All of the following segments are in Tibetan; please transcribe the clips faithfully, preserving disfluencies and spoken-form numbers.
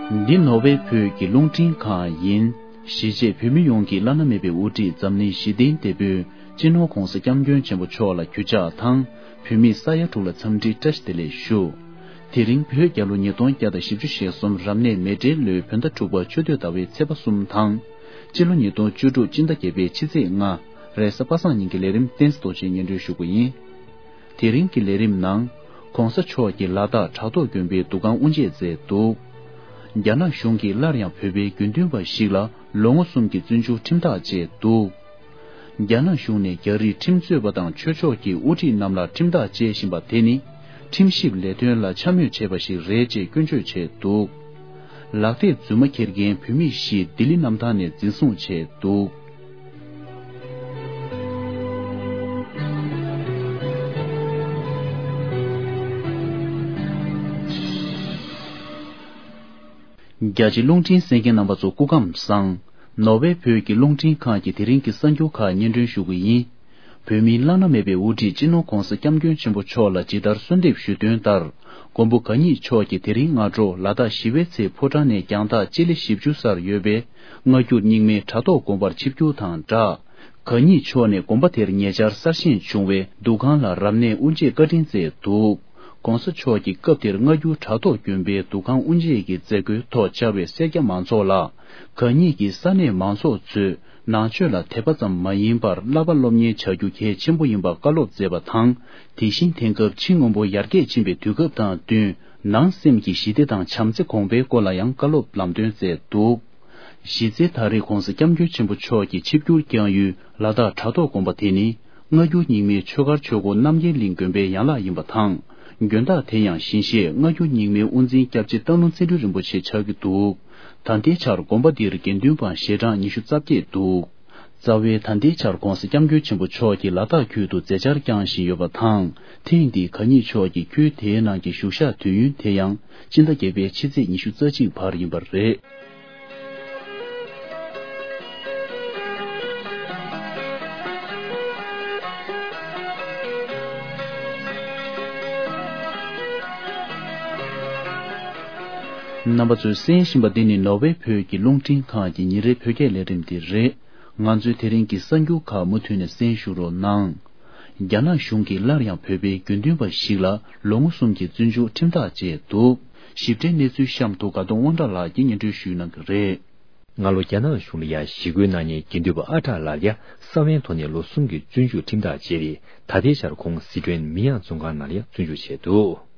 འདི་ནོར་ཝེ་བོད་ཀྱི་རླུང་འཕྲིན་ཁང་ཡིན། གཞིས་བྱེས་བོད་མི་ཡོངས་ཀྱི་བླ་ན་མེད་པའི་དབུ་ཁྲིད་འཛམ་གླིང་ཞི་བདེའི་དེད་དཔོན་སྤྱི་ནོར་༧གོང་ས་༧སྐྱབས་མགོན་ཆེན་པོ་མཆོག་ལ་གུས་ཕྱག་དང་། བོད་མིའི་ས་ཡ་དྲུག་ལ་འཚམས་འདྲིའི་བཀྲ་ཤིས་བདེ་ལེགས་ཞུ། དེ་རིང་བོད་རྒྱལ་ལོ་ཉིས་སྟོང་བརྒྱ་དང་བཞི་བཅུ་ཞེ་གསུམ་རབ་གནས་མེ་སྤྲེལ་ལོའི་བོད་ཟླ་དྲུག་པ་ཆུ་སྟོད་ཟླ་བའི་ཚེས་པ་གསུམ་དང་། སྤྱི་ལོ་ཉིས་སྟོང་བཅུ་དྲུག་སྤྱི་ཟླ་བརྒྱད་པའི་ཕྱི་ཚེས་ལྔ། རེས་གཟའ་པ་སངས་ཉིན་གྱི་ལས་རིམ་བསྟན་འཛིན་རྡོ་རྗེས་སྙན་སྒྲོན་ཞུ་གི་ཡིན། དེ་རིང་གི་ལས་རིམ་ནང་། ྋགོང་ས་མཆོག་གིས་ལ་དྭགས་བྲག་ཐོག་དགོན་པའི་འདུ་ཁང་དབུ་འབྱེད་མཛད་འདུག་རྒྱ་ནག་གཞུང་གིས་སླར་ཡང་བོད་པའི་དགེ་འདུན་པ་ཞིག་ལ་ལོ་ངོ་གསུམ་གྱི་བཙོན་འཇུག་ཁྲིམས་ཐག་བཅད་འདུག་རྒྱ་ནག་གཞུང་ནས་རྒྱ་རིགས་ཁྲིམས་རྩོད་པ་དང་ཆོས་ཕྱོགས་ཀྱི་དབུ་ཁྲིད་རྣམས་ལ་ཁྲིམས་ཐག་བཅད་བཞིན་པ་དེ་ནི། ཁྲིམས་ཞིབ་ལས་དོན་ལ་འཕྱ་སྨོད་བྱས་པ་ཞིག་རེད་ཅེས་སྐྱོན་བརྗོད་བྱས་འདུག་ལག་དེབ་རྫུན་མ་འཁྱེར་མཁན་བོད་མི་བཞི་ལྡི་ལི་གནམ་ཐང་ནས་འཛིན་བཟུང་བྱས་འདུག་རྒྱ་ཆེ་རླུང་འཕྲིན་གསན་མཁན་རྣམ་པ་ཚོ་སྐུ་ཁམས་བཟང་། ནོར་ཝེ་བོད་ཀྱི་རླུང་འཕྲིན་ཁང་གི་དེ་རིང་གི་གསར་འགྱུར་ཁག་སྙན་སྒྲོན་ཞུ་གི་ཡིན། བོད་མིའི་བླ་ན་མེད་པའི་དབུ་ཁྲིད་སྤྱི་ནོར་༧གོང་ས་༧སྐྱབས་མགོན་ཆེན་པོ་མཆོག་ལ་ཇི་ལྟར་གསོལ་འདེབས་ཞུས་དོན་ལྟར། མགོན་པོ་གང་ཉིད་མཆོག་གིས་དེ་རིང་སྔ་དྲོ་ལ་དྭགས་ཞི་བའི་ཚལ་ཕོ་བྲང་ནས་རྒྱང་ཐག་སྤྱི་ལེ་བཞི་བཅུ་སར་ཡོད་པའི་སྔ་འགྱུར་རྙིང་མའི་བྲག་ཐོག་དགོན་པར་ཆིབས་བསྒྱུར་དང་སྦྲགས། གང་ཉིད་མཆོག་ནས་དགོན་པ་དེར་ཉེ་ཆར་གསར་བཞེངས་བྱུང་བའི་འདུ་ཁང་ལ་རབ་གནས་དབུ་འབྱེད་བཀའ་དྲིན་སྩལ་འདུག ྋགོང་ས་མཆོག་གིས་སྐབས་དེར་སྔ་འགྱུར་བྲག་ཐོག་དགོན་པའི་འདུ་ཁང་དབུ་འབྱེད་ཀྱི་མཛད་སྒོའི་ཐོག་བཅར་བའི་སེར་སྐྱ་མང་ཚོགས་ལ། གང་ཉིད་ཀྱིས་ས་གནས་མང་ཚོགས་ཚོས་ནང་ཆོས་ལ་དད་པ་ཙམ་མ་ཡིན་པར་བསླབ་པ་སློབ་གཉེར་བྱ་རྒྱུ་གལ་ཆེན་པོ་ཡིན་པ་བཀའ་སློབ་མཛད་པ་དང་། དེ་བཞིན་དེང་སྐབས་ཕྱི་སྔོན་པོ་ཡར་རྒྱས་ཕྱིན་པའི་དུས་སྐབས་དང་བསྟུན། ནང་སེམས་ཀྱི་ཞི་བདེ་དང་བྱམས་བརྩེ་གོང་འཕེལ་སྐོར་ལ་ཡང་བཀའ་སློབ་ལམ་སྟོན་མཛད་འདུག་གཞི་རྩའི་ད་རེས་ྋགོང་ས་ྋསྐྱབས་མགོན་ཆེན་པོ་མཆོག་གི་ཆིབས་བསྒྱུར་བསྐྱངས་ཡུལ་ལ་དྭགས་བྲག་ཐོག་དགོན་པ་དེ་ནི། སྔ་འགྱུར་རྙིང་མའི་ཆོས་སྒར་ཆོས་སྒོ་རྣམ་རྒྱལ་གླིང་དགོན་པའི་ཡན་ལག་ཡིན་པ་དང་། དགོན་བདག་དེ་ཡང་ཞིང་གཤེགས་སྔ་འགྱུར་རྙིང་མའི་དབུ་འཛིན་སྐྱབས་རྗེ་སྟག་ལུང་ཚེ་སྒྲོན་རིན་པོ་ཆེ་ཆགས་ཀྱི་འདུག་ད་ལྟའི་ཆར་དགོན་པ་འདིར་དགེ་འདུན་པ་ཞལ་གྲངས་ཉི་ཤུ་རྩ་བརྒྱད་འདུག་རྩ་བའི་ད་ལྟའི་ཆར་ྋགོང་ས་ྋསྐྱབས་མགོན་ཆེན་པོ་མཆོག་གིས་ལ་དྭགས་ཁུལ་དུ་མཛད་འཆར་བསྐྱངས་བཞིན་ཡོད་པ་དང་། ཐེངས་འདིའི་གང་ཉིད་མཆོག་གི་ཁུལ་དེའི་ནང་གི་བཞུགས་ཞག་དུས་ཡུན་དེ་ཡང་སྤྱི་ཟླ་བརྒྱད་པའི་ཕྱི་ཚེས་ཉི་ཤུ་རྩ་གཅིག་བར་ཡིན་པ་རེད། རྣམ་པ་ཚོས་གསན་བཞིན་པ་འདི་ནི་ནོར་ཝེ་བོད་ཀྱི་རླུང་འཕྲིན་ཁང་གི་ཉིན་རེའི་བོད་སྐད་ལས་རིམ་དེ་རེད། ང་ཚོའི་དེ་རིང་གི་གསར་འགྱུར་ཁག་མུ་མཐུད་ནས་གསན་ཞུ་རོགས་གནང་། རྒྱ་ནག་གཞུང་གིས་སླར་ཡང་བོད་པའི་དགེ་འདུན་པ་ཞིག་ལ་ལོ་ངོ་གསུམ་གྱི་བཙོན་འཇུག་ཁྲིམས་ཐག་བཅད་འདུག་ཞིབ་ཕྲའི་གནས་ཚུལ་གཤམ་དུ་དགའ་གདོང་དབང་གྲགས་ལགས་ཀྱིས་སྙན་སྒྲོན་ཞུ་གནང་གི་རེད། སྔ་ལོ་རྒྱ་ནག་གཞུང་ལ་ཡ་ཞི་རྒོལ་གནང་མཁན་དགེ་འདུན་པ་ཨ་གྲགས་ལགས་ལ་ཡ་ས་བོན་ཐོག་ནས་ལོ་གསུམ་གྱི་བཙོན་འཇུག་ཁྲིམས་ཐག་བཅད་དེ། ད་ལྟའི་ཆར་ཁོང་སི་ཁྲོན་མི་ཡང་བཙོན་ཁང་ནང་ལ་ཡ་བཙོན་འཇུག་བྱས་འདུག་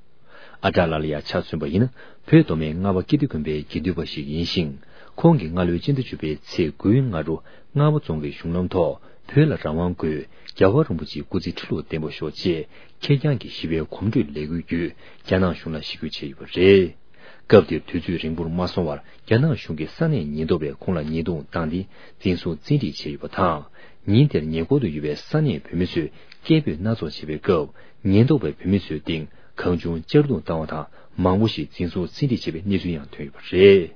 ཨ་གྲགས་ལགས་ལ་ཡ་ཆ་མཚོན་པ་ཡིན་ན། བོད་མདོ་སྨད་རྔ་བ་ཀིརྟི་དགོན་པའི་དགེ་འདུན་པ་ཞིག་ཡིན་ཞིང་། ཁོང་གིས་སྔ་ལོའི་སྤྱི་ཟླ་བཅུ་པའི་ཚེས་དགུའི་སྔ་དྲོ་རྔ་བ་རྫོང་གི་གཞུང་ལམ་ཐོག་བོད་ལ་རང་དབང་དགོས། རྒྱལ་བ་རིན་པོ་ཆེའི་སྐུ་ཚེ་ཁྲི་ལོ་བརྟན་པར་ཤོག་ཅེས་ཁེར་རྐྱང་གི་ཞི་བའི་གོམ་བགྲོད་ལས་འགུལ་བརྒྱུད་རྒྱ་ནག་གཞུང་ལ་ཞི་རྒོལ་བྱས་ཡོད་པ་རེད། སྐབས་དེར་དུས་ཚོད་རིང་པོར་མ་སོང་བར་རྒྱ་ནག་གཞུང་གི་ས་གནས་ཉེན་རྟོག་པས་ཁོང་ལ་ཉེས་རྡུང་བཏང་སྟེ་འཛིན་བཟུང་བཙན་ཁྲིད་བྱས་ཡོད་པ་དང་། ཉིན་དེར་ཉེ་འཁོར་དུ་ཡོད་པའི་ས་གནས་བོད་མི་ཚོས་སྐད་འབོད་སྣ་ཚོགས་བྱས་པའི་སྐབས། ཉེན་རྟོག་པས་བོད་མི་ཚོའི་སྟེང་གང་བྱུང་གཅར་རྡུང་བཏང་བ་དང་། མང་པོ་ཞིག་འཛིན་བཟུང་བཙན་ཁྲིད་བྱས་པའི་གནས་ཚུལ་ཡང་ཐོན་ཡོད་པ་རེད།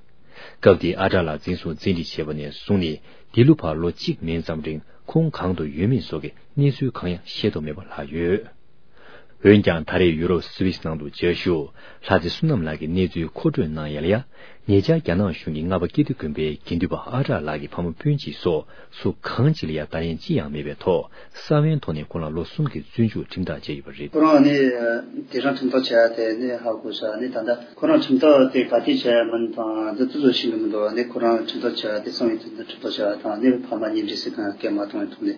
སྐབས་དེའི་ཨ་གྲགས་ལགས་འཛིན་བཟུང་བཙན་ཁྲིད་བྱས་པ་ནས་བཟུང་ནས་འདི་ལོ་བར་ལོ་གཅིག་མིན་ཙམ་རིང་ཁོང་གང་དུ་ཡོད་མེད་སོགས་ཀྱི་གནས་ཚུལ་གང་ཡང་ཤེས་རྟོགས་མེད་པ་ལྷག་ཡོད། འོན་ཀྱང་ད་རེས་ཡུ་རོབ་སུད་སི་ནང་དུ་བཅའ་བཞུགས་ལྷ་རྩེ་བསོད་ནམས་ལགས་ཀྱིས་གནས་ཚུལ་མཁོ་སྤྲོད་གནང་ཡ་ལ་ཡ། ཉེ་ཆར་རྒྱ་ནག་གཞུང་གིས་རྔ་བ་ཀིརྟི་དགོན་པའི་དགེ་འདུན་པ་ཨ་གྲགས་ལགས་ཀྱི་ཕ་མ་སྤུན་མཆེད་སོགས་སུ་གང་ཅི་ལ་ཡ་ལྟ་ལན་ཅི་ཡང་མེད་པའི་ཐོག་ས་བོན་ཐོག་ནས་ཁོང་ལ་ལོ་གསུམ་གྱི་བཙོན་འཇུག་ཁྲིམས་ཐག་བཅད་ཡོད་པ་རེད། ཁོ་རང་ནི་དེ་རིང་ཁྲིམས་ཐག་བཅད་ཡ་དེ་ནི་ཧ་གོ་ཤག་ནི་ད་ལྟ་ཁོ་རང་ཁྲིམས་ཐག་དེ་ག་དུས་བཅད་ཡ་མིན་དང་འདི་ཏུ་བཟོ་ཤེས་གི་མི་འདུག་ནི་ཁོ་རང་ཁྲིམས་ཐག་བཅད་ཡ་དེ་སང་ཉིན་ཁྲིམས་ཐག་བཅད་ཡ་དང་ནི་ཕ་མ་གཉིས་འདྲིས་སི་གང་སྐད་མ་གཏོང་བའི་ཐོག་ནས།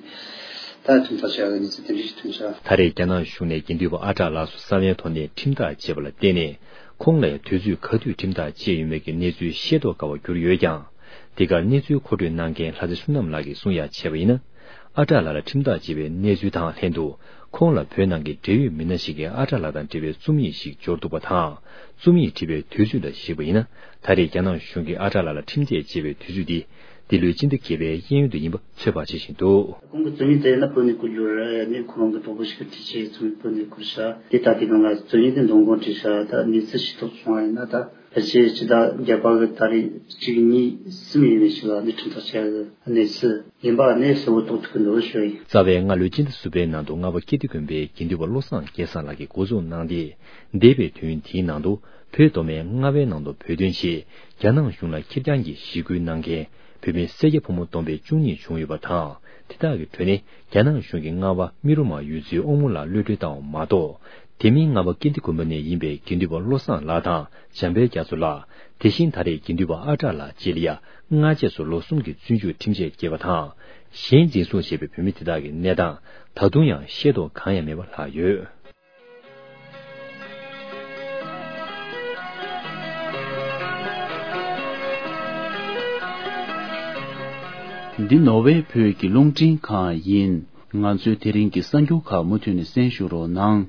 ད་ཁྲིམས་ཐག་བཅད་ཡོད་ནི་ཚེ་དེ་འདྲ་ཞིག་ཐོན་ཤག་ད་རེས་རྒྱ་ནག་གཞུང་ནས་དགེ་འདུན་པ་ཨ་གྲགས་ལགས་སུ་ས་བོན་ཐོག་ནས་ཁྲིམས་ཐག་བཅད་པ་ལ་བརྟེན་ནས། ཁོང་ལ་ཡང་དུས་ཚོད་ག་དུས་ཁྲིམས་ཐག་བཅད་ཡོད་མེད་ཀྱི་གནས་ཚུལ་ཤེས་རྟོགས་དཀའ་བར་གྱུར་ཡོད་ཀྱང་། འདི་གར་གནས་ཚུལ་མཁོ་སྤྲོད་གནང་མཁན་ལྷ་རྩེ་བསོད་ནམས་ལགས་ཀྱིས་གསུང་ཡ་བྱས་པ་ཡིན་ན། ཨ་གྲགས་ལགས་ལ་ཁྲིམས་ཐག་བཅད་པའི་གནས་ཚུལ་དང་ལྷན་དུ། ཁོང་ལ་བོད་ནང་གི་འབྲེལ་ཡོད་མི་སྣ་ཞིག་གིས་ཨ་གྲགས་ལགས་དང་འབྲེལ་བའི་རྩོམ་ཡིག་ཞིག་འབྱོར་འདུག་པ་དང་། རྩོམ་ཡིག་བྲིས་པའི་དུས་ཚོད་ལ་གཞིགས་པ་ཡིན་ན། ད་རེས་རྒྱ་ནག་གཞུང་གིས་ཨ་གྲགས་ལགས་ལ་ཁྲིམས་ཐག་བཅད་པའི་དུས་ཚོད་འདི། འདི་ལོའི་སྤྱི་ཟླ་བརྒྱད་པའི་གཡས་གཡོན་དུ་ཡིན་པ་ཚོད་དཔག་བྱེད་བཞིན་འདུག། གོང་གི་རྩོམ་ཡིག་དེ་ཡིན་ན་བོད་ནས་བསྐུར་རྒྱུ་རེད། ནས་ཁོ་རང་གི་གྲོགས་པོ་ཞིག་གིས་བྲིས་བྱས་རྩོམ་ཡིག་བོད་ནས་བསྐུར་ཤག། དེ་ལྟ་དུས་སྒང་ལ་རྩོམ་ཡིག་དེ་འདོན་དགོངས་བྲིས་ཤག། ད་གནས་ཚུལ་ཤེས་རྟོགས་བྱུང་བ་ཡིན་ན། ད་ཕལ་ཆེར་སྤྱི་ཟླ་བརྒྱད་པ་གི་ད་རེས་གཅིག་གཉིས་གསུམ་ཡས་མས་ཤིག་ལ་ནས་ཁྲིམས་ཐག་བཅད་ཡག་གི་གནས་ཚུལ་ཡིན་པ་ནས་གསལ་བོ་རྟོགས་ཐུབ་ཀྱི་འདུག་ཞུ་ཡིན། རྩ་བའི་སྔ་ལོའི་སྤྱི་ཟླ་གསུམ་པའི་ནང་དུ་རྔ་བ་ཀིརྟི་དགོན་པའི་དགེ་འདུན་པ་བློ་བཟང་སྐལ་བཟང་ལགས་ཀྱིས་འགོ་འཛུགས་གནང་སྟེ། འདས་པའི་དུས་ཡུན་དེའི་ནང་དུ་བོད་མདོ་སྨད་རྔ་བའི་ནང་དུ་བོད་དོན་ཆེད་རྒྱ་ནག་གཞུང་ལ་ཁེར་རྐྱང་གིས་ཞི་རྒོལ་གནང་མཁན་བོད་མི་སེར་སྐྱ་ཕོ་མོ་བསྡོམས་པས་བཅུ་གཉིས་བྱུང་ཡོད་པ་དང་། དེ་དག་གི་ཁྲོད་ནས་རྒྱ་ནག་གཞུང་གིས་རྔ་བ་རྨེ་རུ་མ་ཡུལ་ཚོའི་ཨོ་མོ་ལགས་གློད་གྲོལ་བཏང་བ་མ་གཏོགས། དེ་མིན་རྔ་བ་ཀིརྟི་དགོན་པ་ནས་ཡིན་པའི་དགེ་འདུན་པ་བློ་བཟང་ལགས་དང་། འཇམ་དཔལ་རྒྱ་མཚོ་ལགས། དེ་བཞིན་ད་རེས་དགེ་འདུན་པ་ཨ་གྲགས་ལགས་བཅས་ལ་ཡང་སྔ་རྗེས་སུ་ལོ་གསུམ་གྱི་བཙོན་འཇུག་ཁྲིམས་ཆད་བཀལ་བ་དང་། གཞན་འཛིན་བཟུང་བྱས་པའི་བོད་མི་དེ་དག་གི་གནས་སྟངས་ད་དུང་ཡང་ཤེས་རྟོགས་གང་ཡང་མེད་པ་ལྷག་ཡོད། འདི་ནོར་ཝེ་བོད་ཀྱི་རླུང་འཕྲིན་ཁང་ཡིན། ང་ཚོའི་དེ་རིང་གི་གསར་འགྱུར་ཁག་མུ་མཐུད་ནས་གསན་ཞུ་རོགས་གནང་།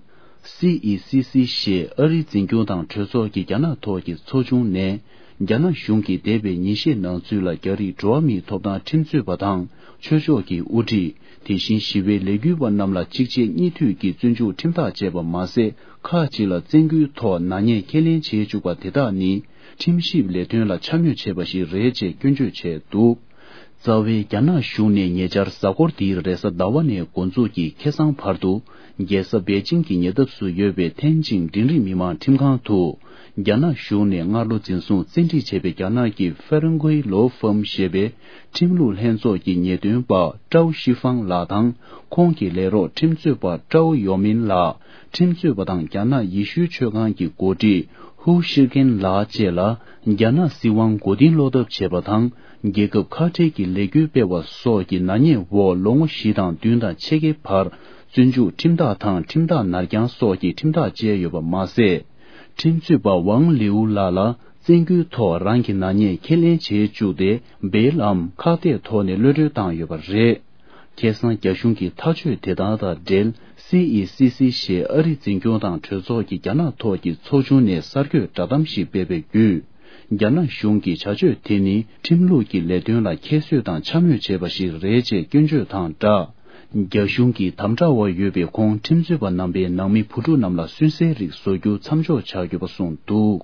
སི་ཨི་སི་སི་ཞེས་ཨ་རིའི་འཛིན་སྐྱོང་དང་གྲོས་ཚོགས་ཀྱི་རྒྱ་ནག་ཐོག་གི་ཚོགས་ཆུང་ནས། རྒྱ་ནག་གཞུང་གིས་འདས་པའི་ཉིན་ཤས་ནང་ཚུད་ལ་རྒྱ་རིགས་འགྲོ་བ་མིའི་ཐོབ་ཐང་ཁྲིམས་རྩོད་པ་དང་ཆོས་ཕྱོགས་ཀྱི་དབུ་ཁྲིད། དེ་བཞིན་ཞི་བའི་ལས་འགུལ་བ་རྣམས་ལ་གཅིག་རྗེས་གཉིས་མཐུད་ཀྱིས་བཙོན་འཇུག་ཁྲིམས་ཐག་བཅད་པ་མ་ཟད། ཁག་ཅིག་ལ་བཙན་སྐུལ་ཐོག་ནག་ཉེས་ཁས་ལེན་བྱེད་བཅུག་པ་དེ་དག་ནི། ཁྲིམས་ཞིབ་ལས་དོན་ལ་འཕྱ་སྨོད་བྱས་པ་ཞིག་རེད་ཅེས་སྐྱོན་བརྗོད་བྱས་འདུག། རྩ་བའི་རྒྱ་ནག་གཞུང་ནས་ཉེ་ཆར་གཟའ་འཁོར་འདིའི་རེས་གཟའ་ཟླ་བ་ནས་འགོ་འཛུགས་ཀྱིས་ཁ་སང་བར་དུ། རྒྱལ་ས་པེ་ཅིང་གི་ཉེ་འདབས་སུ་ཡོད་པའི་ཐེན་ཅིང་འབྲིང་རིམ་མི་དམངས་ཁྲིམས་ཁང་དུ། རྒྱ་ནག་གཞུང་ནས་སྔ་ལོ་འཛིན་བཟུང་བཙན་ཁྲིད་བྱས་པའི་རྒྱ་ནག་གི་ཧྥེ་རན་ཀུའི་ལོ་ཧྥམ་ཞེས་པའི་ཁྲིམས་ལུགས་ལྷན་ཚོགས་ཀྱི་ཉེས་དོན་པ་ཀྲའོ་ཤི་ཧྥང་ལགས་དང་། ཁོང་གི་ལས་རོགས་ཁྲིམས་རྩོད་པ་ཀྲའོ་ཡོ་མིན་ལགས། ཁྲིམས་རྩོད་པ་དང་རྒྱ་ནག་ཡེ་ཤུའི་ཆོས་ཁང་གི་འགོ་ཁྲིད་ཧུའུ་ཤིར་ཁེན་ལགས་བཅས་ལ་རྒྱ་ནག་སྲིད་དབང་མགོ་རྟིང་སློག་ཐབས་བྱས་པ་དང་། རྒྱལ་ཁབ་ཁ་བྲལ་གྱི་ལས་འགུལ་སྤེལ་བ་སོགས་ཀྱི་ནག་ཉེས་འོག་ལོ་ངོ་བཞི་དང་བདུན་དང་ཕྱེད་ཀའི་བར་བཙོན་འཇུག་ཁྲིམས་ཐག་དང་ཁྲིམས་ཐག་ནར་འགྱངས་སོགས་ཀྱི་ཁྲིམས་ཐག་བཅད་ཡོད་པ་མ་ཟད། ཁྲིམས་རྩོད་པ་ཝང་ལིའུ་ལགས་ལ་བཙན་སྐུལ་ཐོག་རང་གི་ནག་ཉེས་ཁས་ལེན་བྱེད་བཅུག་སྟེ། བེལ་ལམ་ཁག་ཐེག་ཐོག་ནས་གློད་གྲོལ་བཏང་ཡོད་པ་རེད། ཁ་སང་རྒྱ་གཞུང་གི་ཐག་གཅོད་དེ་དག་དང་འབྲེལ། སི་ཨི་སི་སི་ཞེས་ཨ་རིའི་འཛིན་སྐྱོང་དང་གྲོས་ཚོགས་ཀྱི་རྒྱ་ནག་ཐོག་གི་ཚོགས་ཆུང་ནས་གསར་འགོད་བསྒྲགས་གཏམ་ཞིག་སྤེལ་བའི་བརྒྱུད། རྒྱ་ནག་གཞུང་གི་བྱ་སྤྱོད་དེ་ནི་ཁྲིམས་ལུགས་ཀྱི་ལས་དོན་ལ་ཁྱད་གསོད་དང་འཕྱ་སྨོད་བྱས་པ་ཞིག་རེད་ཅེས་སྐྱོན་བརྗོད་དང་སྦྲགས། རྒྱ་གཞུང་གི་དམ་དྲག་འོག་ཡོད་པའི་ཁོང་ཁྲིམས་རྩོད་པ་རྣམ་པའི་ནང་མི་བུ་ཕྲུག་རྣམས་ལ་སུན་གཙེར་རིགས་བཟོ་རྒྱུ་མཚམས་འཇོག་བྱ་དགོས་པ་གསུངས་འདུག།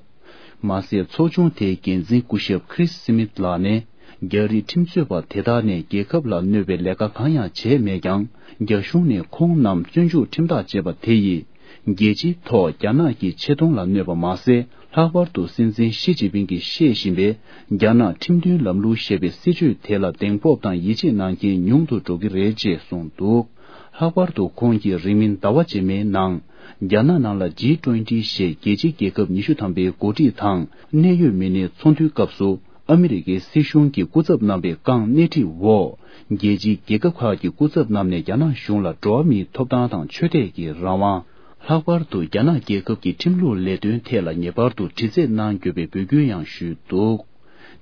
མ་ཟད། ཚོགས་ཆུང་དེའི་འགན་འཛིན་སྐུ་ཞབས་ཁྲིས་སི་མིད་ལགས་ནས། རྒྱ་རིགས་ཁྲིམས་རྩོད་པ་དེ་དག་ནས་རྒྱལ་ཁབ་ལ་གནོད་པའི་ལས་ཀ་གང་ཡང་བྱས་མེད་ཀྱང་། རྒྱ་གཞུང་ནས་ཁོང་རྣམས་བཙོན་འཇུག་ཁྲིམས་ཐག་བཅད་པ་དེ་ཡིས། རྒྱལ་སྤྱིའི་ཐོག་རྒྱ་ནག་གི་ཆེ་མཐོང་ལ་གནོད་པ་མ་ཟད། ལྷག་པར་དུ་སྲིད་འཛིན་ཞི་ཅིན་ཕིང་གིས་བཤད་བཞིན་པའི་རྒྱ་ནག་ཁྲིམས་མཐུན་ལམ་ལུགས་ཞེས་པའི་སྲིད་བྱུས་དེ་ལ་གདེང་སྤོབས་དང་ཡིད་ཆེས་གནང་མཁན་ཉུང་དུ་འགྲོ་གི་རེད་ཅེས་གསུངས་འདུག། ལྷག་པར་དུ་ཁོང་གིས་རིང་མིན་ཟླ་བ་རྗེས་མའི་ནང་། རྒྱ་ནག་ནང་ལ་ཇི་ཊུ་ཝེན་ཊི་ཞེས་རྒྱལ་སྤྱིའི་རྒྱལ་ཁབ་ཉི་ཤུ་ཐམ་པའི་འགོ་ཁྲིད་དང་གནད་ཡོད་མི་སྣའི་ཚོགས་འདུའི་སྐབས་སུ། ཨ་མི་རི་ཀའི་སྲིད་གཞུང་གི་སྐུ་ཚབ་རྣམ་པས་བཀའ་སྣེ་ཁྲིད་འོག། རྒྱལ་སྤྱིའི་རྒྱལ་ཁབ་ཁག་གི་སྐུ་ཚབ་རྣམས་ནས་རྒྱ་ནག་གཞུང་ལ་འགྲོ་བ་མིའི་ཐོབ་ཐང་དང་ཆོས་དད་ཀྱི་རང་དབང་། ལྷག་པར་དུ་རྒྱ་ནག་རྒྱལ་ཁབ་ཀྱི་ཁྲིམས་ལུགས་ལས་དོན་ཐད་ལ་ངེས་པར་དུ་དྲི་རྩད་གནང་དགོས་པའི་འབོད་སྐུལ་ཡང་ཞུས་འདུག།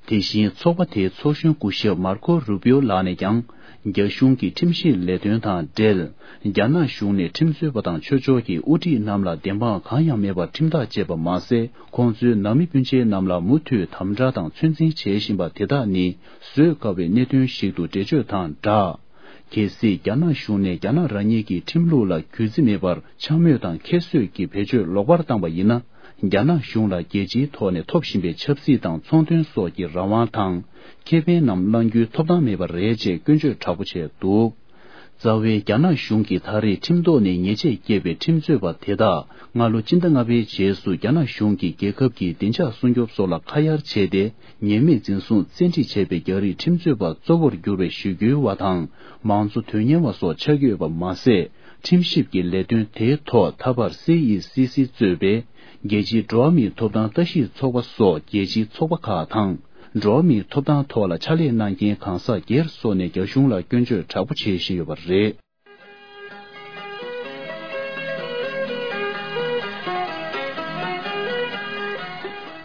དེ་བཞིན་ཚོགས་པ་དེའི་ཚོགས་གཞོན་སྐུ་ཞབས་མར་ཁོ་རུ་པིའོ་ལགས་ནས་ཀྱང་། རྒྱ་གཞུང་གི་ཁྲིམས་ཞིབ་ལས་དོན་དང་འབྲེལ། རྒྱ་ནག་གཞུང་ནས་ཁྲིམས་རྩོད་པ་དང་ཆོས་ཕྱོགས་ཀྱི་དབུ་ཁྲིད་རྣམས་ལ་བདེན་དཔང་གང་ཡང་མེད་པར་ཁྲིམས་ཐག་བཅད་པ་མ་ཟད། ཁོང་ཚོའི་ནང་མི་སྤུན་མཆེད་རྣམས་ལ་མུ་མཐུད་དམ་དྲག་དང་ཚོད་འཛིན་བྱེད་བཞིན་པ་དེ་དག་ནི་བཟོད་དཀའ་བའི་གནད་དོན་ཞིག་ཏུ་འགྲེལ་བརྗོད་དང་སྦྲགས། གལ་སྲིད་རྒྱ་ནག་གཞུང་ནས་རྒྱ་ནག་རང་ཉིད་ཀྱི་ཁྲིམས་ལུགས་ལ་གུས་བརྩི་མེད་པར་འཕྱ་སྨོད་དང་ཁྱད་གསོད་ཀྱི་བེད་སྤྱོད་ལོག་པར་བཏང་བ་ཡིན་ན། རྒྱ་ནག་གཞུང་ལ་རྒྱལ་སྤྱིའི་ཐོག་ནས་ཐོབ་བཞིན་པའི་ཆབ་སྲིད་དང་ཚོང་དོན་སོགས་ཀྱི་རང་དབང་དང་། ཁེ་ཕན་རྣམས་བླང་རྒྱུའི་ཐོབ་ཐང་མེད་པ་རེད་ཅེས་སྐྱོན་བརྗོད་དྲག་པོ་བྱས་འདུག། རྩ་བའི་རྒྱ་ནག་གཞུང་གིས་ད་རེས་ཁྲིམས་ཐོག་ནས་ཉེས་ཆད་བཀལ་བའི་ཁྲིམས་རྩོད་པ་དེ་དག་སྔ་ལོ་སྤྱི་ཟླ་ལྔ་པའི་རྗེས་སུ་རྒྱ་ནག་གཞུང་གིས་རྒྱལ་ཁབ་ཀྱི་བདེ་འཇགས་སྲུང་སྐྱོབ་སོགས་ལ་ཁ་གཡར་བྱས་ཏེ། ཉེས་མེད་འཛིན་བཟུང་བཙན་ཁྲིད་བྱས་པའི་རྒྱ་རིགས་ཁྲིམས་རྩོད་པ་གཙོ་བོར་གྱུར་པའི་ཞི་རྒོལ་བ་དང་། མང་གཙོ་དོན་གཉེར་བ་སོགས་ཆགས་ཀྱི་ཡོད་པ་མ་ཟད། ཁྲིམས་ཞིབ་ཀྱི་ལས་དོན་དེའི་ཐོག་ད་བར་སི་ཨི་སི་སི་གཙོས་པའི་རྒྱལ་སྤྱིའི་འགྲོ་བ་མིའི་ཐོབ་ཐང་ལྟ་ཞིབ་ཚོགས་པ་སོགས་རྒྱལ་སྤྱིའི་ཚོགས་པ་ཁག་དང་། འགྲོ་བ་མིའི་ཐོབ་ཐང་ཐོག་ལ་ཕྱག་ལས་གནང་མཁན་གང་ཟག་སྒེར་སོགས་ནས་རྒྱ་གཞུང་ལ་སྐྱོན་བརྗོད་དྲག་པོ་བྱེད་བཞིན་ཡོད་པ་རེད།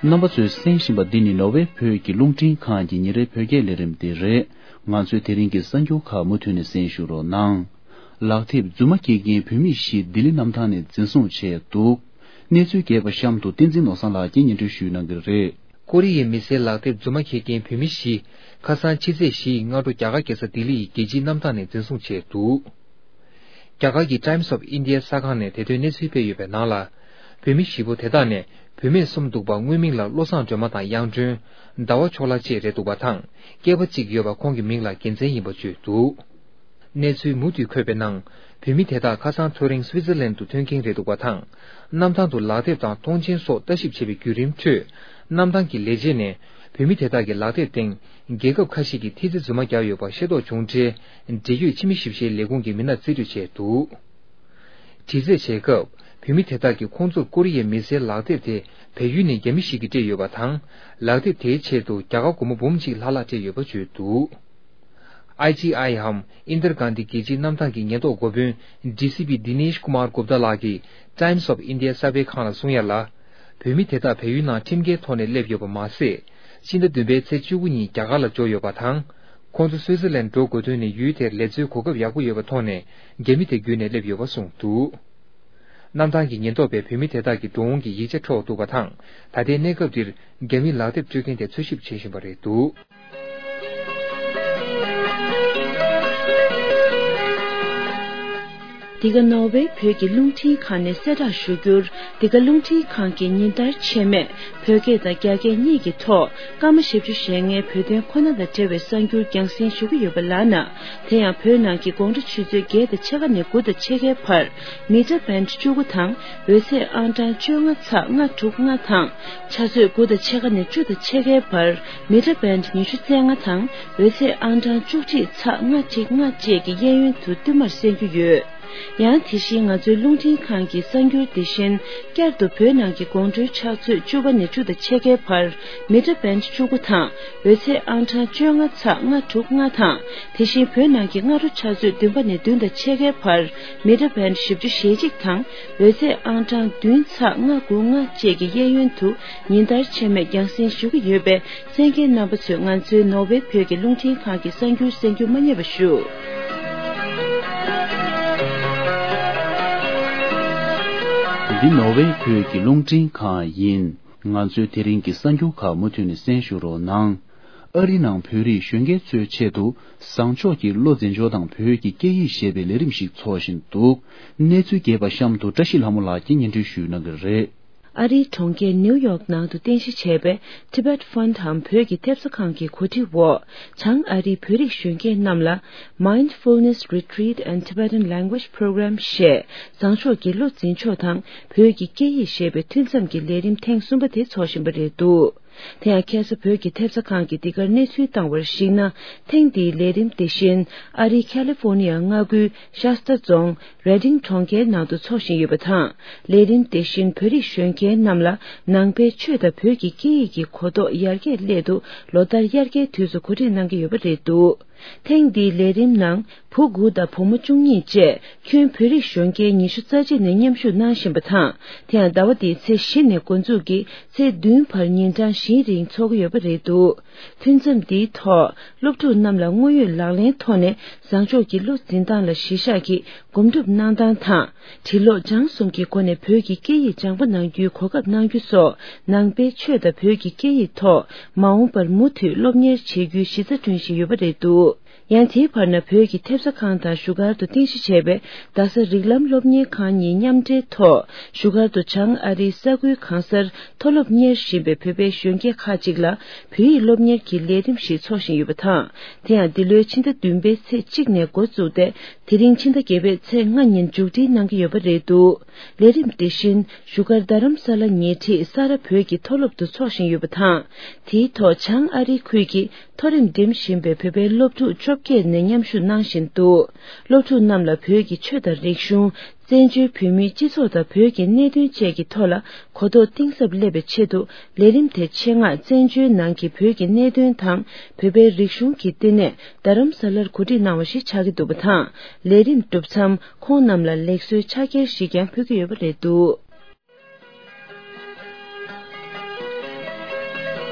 རྣམ་པ་ཚོས་གསན་བཞིན་པ་འདི་ནི་ནོར་ཝེ་བོད་ཀྱི་རླུང་འཕྲིན་ཁང་གི་ཉིན་རེའི་བོད་སྐད་ལས་རིམ་དེ་རེད། ང་ཚོའི་དེ་རིང་གི་གསར་འགྱུར་ཁག་མུ་མཐུད་ནས་གསན་ཞུ་རོགས་གནང་། ལག་དེབ་རྫུན་མ་འཁྱེར་མཁན་བོད་མི་བཞི་ལྡི་ལི་གནམ་ཐང་ནས་འཛིན་བཟུང་བྱས་འདུག། གནས་ཚུལ་རྒྱས་པ་གཤམ་དུ་བསྟན་འཛིན་ནོར་བཟང་ལགས་ཀྱིས་སྙན་སྒྲོན་ཞུ་གནང་གི་རེད། ཀོ་རི་ཡའི་མི་སེར་ལག་དེབ་རྫུན་མ་འཁྱེར་མཁན་བོད་མི་བཞི། ཁ་སང་ཕྱི་ཚེས་བཞི་ཡི་སྔ་དྲོ་རྒྱ་གར་རྒྱལ་ས་ལྡི་ལི་ཡི་རྒྱལ་སྤྱིའི་གནམ་ཐང་ནས་འཛིན་བཟུང་བྱས་འདུག་རྒྱ་གར་གྱི་Times of India གསར་ཁང་ནས་དེ་དོན་གནས་ཚུལ་སྤེལ་ཡོད་པའི་ནང་ལ། བོད་མི་བཞི་པོ་དེ་དག་ནས་བུད་མེད་གསུམ་འདུག་པ། དངོས་མིང་ལ་བློ་བཟང་སྒྲོལ་མ་དང་གཡང་སྒྲོན། ཟླ་བ་ཕྱོགས་ལྷ་བཅས་རེད་འདུག་པ་དང་། སྐྱེས་པ་གཅིག་ཡོད་པ་ཁོང་གི་མིང་ལ་རྒྱལ་མཚན་ཡིན་པ་བརྗོད་འདུག་གནས་ཚུལ་མུ་མཐུད་འཁོད་པའི་ནང་། བོད་མི་དེ་དག་ཁ་སང་ཐོ་རེངས་སུའི་ཙེར་ལན་དུ་ཐོན་མཁན་རེད་འདུག་པ་དང་། གནམ་ཐང་དུ་ལག་དེབ་དང་མཐོང་མཆན་སོགས་ལྟ་ཞིབ་བྱེད་པའི་བརྒྱུད་རིམ་ཁྲོད། གནམ་ཐང་གི་ལས་བྱེད་ནས་བོད་མི་དེ་དག་གི་ལག་དེབ་སྟེང་རྒྱལ་ཁབ་ཁ་ཤས་ཀྱི་ཐི་ཙི་རྫུན་མ་བརྒྱབ་ཡོད་པ་ཤེས་རྟོགས་བྱུང་འཕྲལ། འབྲེལ་ཡོད་ཕྱི་མི་ཞིབ་བཤེར་ལས་ཁུངས་ཀྱི་མི་སྣ་རྩིས་སྤྲོད་བྱས་འདུག་དྲི་རྩད་བྱེད་སྐབས། བོད་མི་དེ་དག་གིས་ཁོང་ཚོར་ཀོ་རི་ཡའི་མི་སེར་ལག་དེབ་དེ་བལ་ཡུལ་ནས་རྒྱ་མི་ཞིག་གིས་སྤྲད་ཡོད་པ་དང་། ལག་དེབ་དེའི་ཆེད་དུ་རྒྱ་གར་སྒོར་མོ་འབུམ་གཅིག་ལྷག་ལྷག་སྤྲད་ཡོད་པ་བརྗོད་འདུག་ཨའི་ཅི་ཨའི་འམ་ཨིན་དར་གྷན་དྷི་རྒྱལ་སྤྱིའི་གནམ་ཐང་གི་ཉེན་རྟོག་འགོ་དཔོན་ཌི་སི་པི་དི་ནེཤ་ཀུ་མར་གུབ་ཏཱ་ལགས་ཀྱིས་Times of India གསར་སྤེལ་ཁང་ལ་གསུངས་ཡ་ལ། བོད་མི་དེ་དག་བལ་ཡུལ་ནང་ཁྲིམས་འགལ་ཐོག་ནས་སླེབས་ཡོད་པ་མ་ཟད། ཕྱི་ཟླ་བདུན་པའི་ཚེས་བཅུ་དགུ་ཉིན་རྒྱ་གར་ལ་འབྱོར་ཡོད་པ་དང་། ཁོང་ཚོ་སུའི་ཙེར་ལན་འགྲོ་དགོས་དོན་ནི་ཡུལ་དེར་ལས་འཚོལ་གོ་སྐབས་ཡག་པོ་ཡོད་པ་མཐོང་ནས་རྒྱ་མི་དེ་བརྒྱུད་ནས་སླེབས་ཡོད་པ་གསུངས་འདུག་གནམ་ཐང་གི་ཉེན་རྟོག་པས་བོད་མི་དེ་དག་གི་འགྲོ་འོང་གི་ཡིག་ཆ་འཕྲོག་འདུག་པ་དང་། ད་ལྟའི་གནས་སྐབས་འདིར་རྒྱ་མིའི་ལག་དེབ་སྤྲོད་མཁན་དེ་འཚོལ་ཞིབ་བྱེད་བཞིན་པ་རེད་འདུག་འདི་ག་ནོར་ཝེ་བོད་ཀྱི་རླུང་འཕྲིན་ཁང་ནས་གསལ་བསྒྲགས་ཞུ་རྒྱུར། འདི་ག་རླུང་འཕྲིན་ཁང་གིས་ཉིན་ལྟར་ཆད་མེད་བོད་སྐད་དང་རྒྱ་སྐད་གཉིས་ཀྱི་ཐོག་སྐར་མ་བཞི་བཅུ་ཞེ་ལྔའི་བོད་དོན་ཁོ་ན་དང་འབྲེལ་བའི་གསར་འགྱུར་རྒྱང་སྲིང་ཞུ་གི་ཡོད་པ་ལགས་ན། དེ་ཡང་བོད་ནང་གི་དགོང་དྲོ་ཆུ་ཚོད་བརྒྱད་དང་ཕྱེད་ཀ་ནས་དགུ་དང་ཕྱེད་ཀའི་བར་མི་ཊར་བེན་བཅུ་དགུ་དང་འོད་ཚད་ཨང་གྲངས་བཅོ་ལྔ་ཚེག་ལྔ་དྲུག་ལྔ་དང་། ཕྱག་ཚོད་དགུ་དང་ཕྱེད་ཀ་ནས་བཅུ་དང་ཕྱེད་ཀའི་བར་མི་ཊར་བེན་ཉི་ཤུ་རྩ་ལྔ་དང་འོད་ཚད་ཨང་གྲངས་བཅུ་གཅིག་ཚེག་ལྔ་གཅིག་ལྔ་བཅས་ཀྱི་གཡས་གཡོན་དུ་བསྟུད་མར་གསན་རྒྱུ་ཡོད། ཡང་དེ་བཞིན་ང་ཚོའི་རླུང་འཕྲིན་ཁང་གི་གསར་འགྱུར་དེ་བཞིན་བསྐྱར་དུ་བོད་ནང་གི་དགོང་དྲོའི་ཕྱག་ཚོད་བཅུ་པ་ནས་བཅུ་དང་ཕྱེད་ཀའི་བར་མི་ཊར་བེན་བཅུ་དགུ་དང་འོད་ཚད་ཨང་གྲངས་བཅོ་ལྔ་ཚེག་ལྔ་དྲུག་ལྔ་དང་། དེ་བཞིན་བོད་ནང་གི་སྔ་དྲོ་ཕྱག་ཚོད་བདུན་པ་ནས་བདུན་དང་ཕྱེད་ཀའི་བར་མི་ཊར་བེན་བཞི་བཅུ་ཞེ་གཅིག་དང་འོད་ཚད་ཨང་གྲངས་བདུན་ཚེག་ལྔ་དགུ་ལྔ་བཅས་ཀྱི་གཡས་གཡོན་དུ་ཉིན་ལྟར་ཆད་མེད་རྒྱང་སྲིང་ཞུ་གི་ཡོད་པས། གསན་མཁན་རྣམ་པ་ཚོས་ང་ཚོའི་ནོར་ཝེ་བོད་ཀྱི་རླུང་འཕྲིན་ཁང་གི་གསར་འགྱུར་གསན་རྒྱུ་མ་བསྙེལ་བ་ཞུ། འདི་ནོར་ཝེ་བོད་ཀྱི་རླུང་འཕྲིན་ཁང་ཡིན། ང་ཚོའི་དེ་རིང་གི་གསར་འགྱུར་ཁག་མུ་མཐུད་ནས་གསན་ཞུ་རོགས་གནང་། ཨ་རི་ནང་བོད་རིགས་གཞོན་སྐྱེས་ཚོའི་ཆེད་དུ་བཟང་ཕྱོགས་ཀྱི་བློ་འཛིན་ཕྱོགས་དང་བོད་ཀྱི་སྐད་ཡིག་ཞེས་པའི་ལས་རིམ་ཞིག་འཚོགས་བཞིན་འདུག་གནས་ཚུལ་རྒྱས་པ་གཤམ་དུ་བཀྲ་ཤིས་ལྷ་མོ་ལགས་ཀྱིས་སྙན་སྒྲོན་ཞུ་གནང་གི་རེད། ཨ་རིའི་གྲོང་ཁྱེར་ནིའུ་ཡོག་ནང་དུ་རྟེན་གཞི་བྱས་པའི་Tibet Fund འམ་བོད་ཀྱི་ཐེབས་རྩ་ཁང་གི་གོ་སྒྲིག་འོག་བྱང་ཨ་རིའི་བོད་རིགས་གཞོན་སྐྱེས་རྣམས་ལ་Mindfulness Retreat and Tibetan Language Program ཞེས་བཟང་ཕྱོགས་ཀྱི་བློ་འཛིན་ཕྱོགས་དང་བོད་ཀྱི་སྐད་ཡིག་ཞེས་པའི་མཐུན་མཚམས་ཀྱི་ལས་རིམ་ཐེངས་གསུམ་པ་དེ་འཚོགས་བཞིན་པ་རེད་འདུག་དེ་ཡང་ཁ་སང་བོད་ཀྱི་ཐེབས་རྩ་ཁང་གིས་འདི་གར་གནས་ཚུལ་བཏང་བར་གཞིགས་ན། ཐེངས་འདིའི་ལས་རིམ་དེ་བཞིན་ཨ་རིའི་ཁ་ལི་ཧྥོ་ནི་ཡ་མངའ་ཁུལ་ཤ་སྟ་རྫོང་རེ་ཌིང་གྲོང་ཁྱེར་ནང་དུ་འཚོགས་བཞིན་ཡོད་པ་དང་། ལས་རིམ་དེ་བཞིན་བོད་རིགས་གཞོན་སྐྱེས་རྣམས་ལ་ནང་པའི་ཆོས་དང་བོད་ཀྱི་སྐད་ཡིག་གི་གོ་རྟོགས་ཡར་རྒྱས་སླད་དུ་ལོ་ལྟར་དབྱར་ཁའི་དུས་སུ་གོ་སྒྲིག་གནང་གི་ཡོད་པ་རེད་འདུག་ཐེངས་འདིའི་ལས་རིམ་ནང་བུ་དགུ་དང་བུ་མོ་བཅུ་གཉིས་བཅས་ཁྱོན་བོད་རིགས་གཞོན་སྐྱེས་ཉི་ཤུ་རྩ་གཅིག་ནས་མཉམ་ཞུགས་གནང་བཞིན་པ་དང་། དེ་ཡང་ཟླ་བ་འདིའི་ཚེས་བཞི་ནས་འགོ་འཛུགས་ཀྱིས་ཚེས་བདུན་བར་ཉིན་གྲངས་བཞིའི་རིང་འཚོགས་ཀྱི་ཡོད་པ་རེད་འདུག་ཐུན་མཚམས་འདིའི་ཐོག་སློབ་ཕྲུག་རྣམས་ལ་དངོས་ཡོད་ལག་ལེན་ཐོག་ནས་བཟང་ཕྱོགས་ཀྱི་བློ་འཛིན་སྟངས་ལ་གཞི་བཞག་གིས་སྒོམ་སྒྲུབ་གནང་སྟངས་དང་། འབྲི་ཀློག་སྦྱང་གསུམ་གྱི་སྒོ་ནས་བོད་ཀྱི་སྐད་ཡིག་སྦྱང་པ་གནང་རྒྱུའི་གོ་སྐབས་གནང་རྒྱུ་སོགས་ནང་པའི་ཆོས་དང་བོད་ཀྱི་སྐད་ཡིག་ཐོག་མ་འོངས་པར་མུ་མཐུད་སློབ་གཉེར་བྱེད་རྒྱུའི་གཞི་རྩ་བསྐྲུན་བཞིན་ཡོད་པ་རེད་འདུག་ཡང་དེའི་བར་ན་བོད་ཀྱི་ཐེབས་རྩ་ཁང་དང་བཞུགས་སྒར་དུ་རྟེན་གཞི་བྱས་པའི་རྡ་ས་རིགས་ལམ་སློབ་གཉེར་ཁང་གཉིས་མཉམ་འབྲེལ་ཐོག་བཞུགས་སྒར་དུ་བྱང་ཨ་རིའི་ས་ཁུལ་གང་སར་མཐོ་སློབ་གཉེར་བཞིན་པའི་བོད་པའི་གཞོན་སྐྱེས་ཁག་ཅིག་ལ་བོད་ཡིག་སློབ་གཉེར་གྱི་ལས་རིམ་ཞིག་འཚོགས་བཞིན་ཡོད་པ་དང་། དེ་ཡང་འདི་ལོའི་ཕྱི་ཟླ་བདུན་པའི་ཚེས་གཅིག་ནས་འགོ་བཙུགས་ཏེ། དེ་རིང་ཕྱི་ཟླ་བརྒྱད་པའི་ཚེས་ལྔ་ཉིན་མཇུག་སྒྲིལ་གནང་གི་ཡོད་པ་རེད་འདུག་ལས་རིམ་དེ་བཞིན་བཞུགས་སྒར་རྡ་རམ་ས་ལ་ཉེ་འཁྲིས་ས་རཱ་བོད་ཀྱི་མཐོ་སློབ་ཏུ་འཚོགས་བཞིན་ཡོད་པ་དང་། དེའི་ཐོག་བྱང་ཨ་རིའི་ཁུལ་གྱི་མཐོ་རིམ་འགྲིམ་བཞིན་པའི་བོད་པའི་སློབ་ཕྲུག་བཅོ་བརྒྱད་ནས་མཉམ་ཞུགས་གནང་བཞིན་འདུག་སློབ་ཕྲུག་རྣམས་ལ་བོད་ཀྱི་ཆོས་དང་རིག་གཞུང་། བཙན་བྱོལ་བོད་མིའི་སྤྱི་ཚོགས་དང་བོད་ཀྱི་གནད་དོན་བཅས་ཀྱི་ཐོག་ལ་གོ་རྟོགས་གཏིང་ཟབ་སླེབས་པའི་ཆེད་དུ་ལས་རིམ་དེ་ཆེད་མངགས་བཙན་བྱོལ་ནང་གི་བོད་ཀྱི་གནད་དོན་དང་བོད་པའི་རིག་གཞུང་གི་བསྟི་གནས་རྡ་རམ་ས་ལར་གོ་སྒྲིག་གནང་བ་ཞིག་ཆགས་ཀྱི་འདུག་པ་དང་། ལས་རིམ་གྲུབ་མཚམས་ཁོང་རྣམས་ལ་ལེགས་གསོའི་ཕྱག་འཁྱེར་ཞིག་ཀྱང་ཕུལ་གྱི་ཡོད་པ་རེད་འདུག་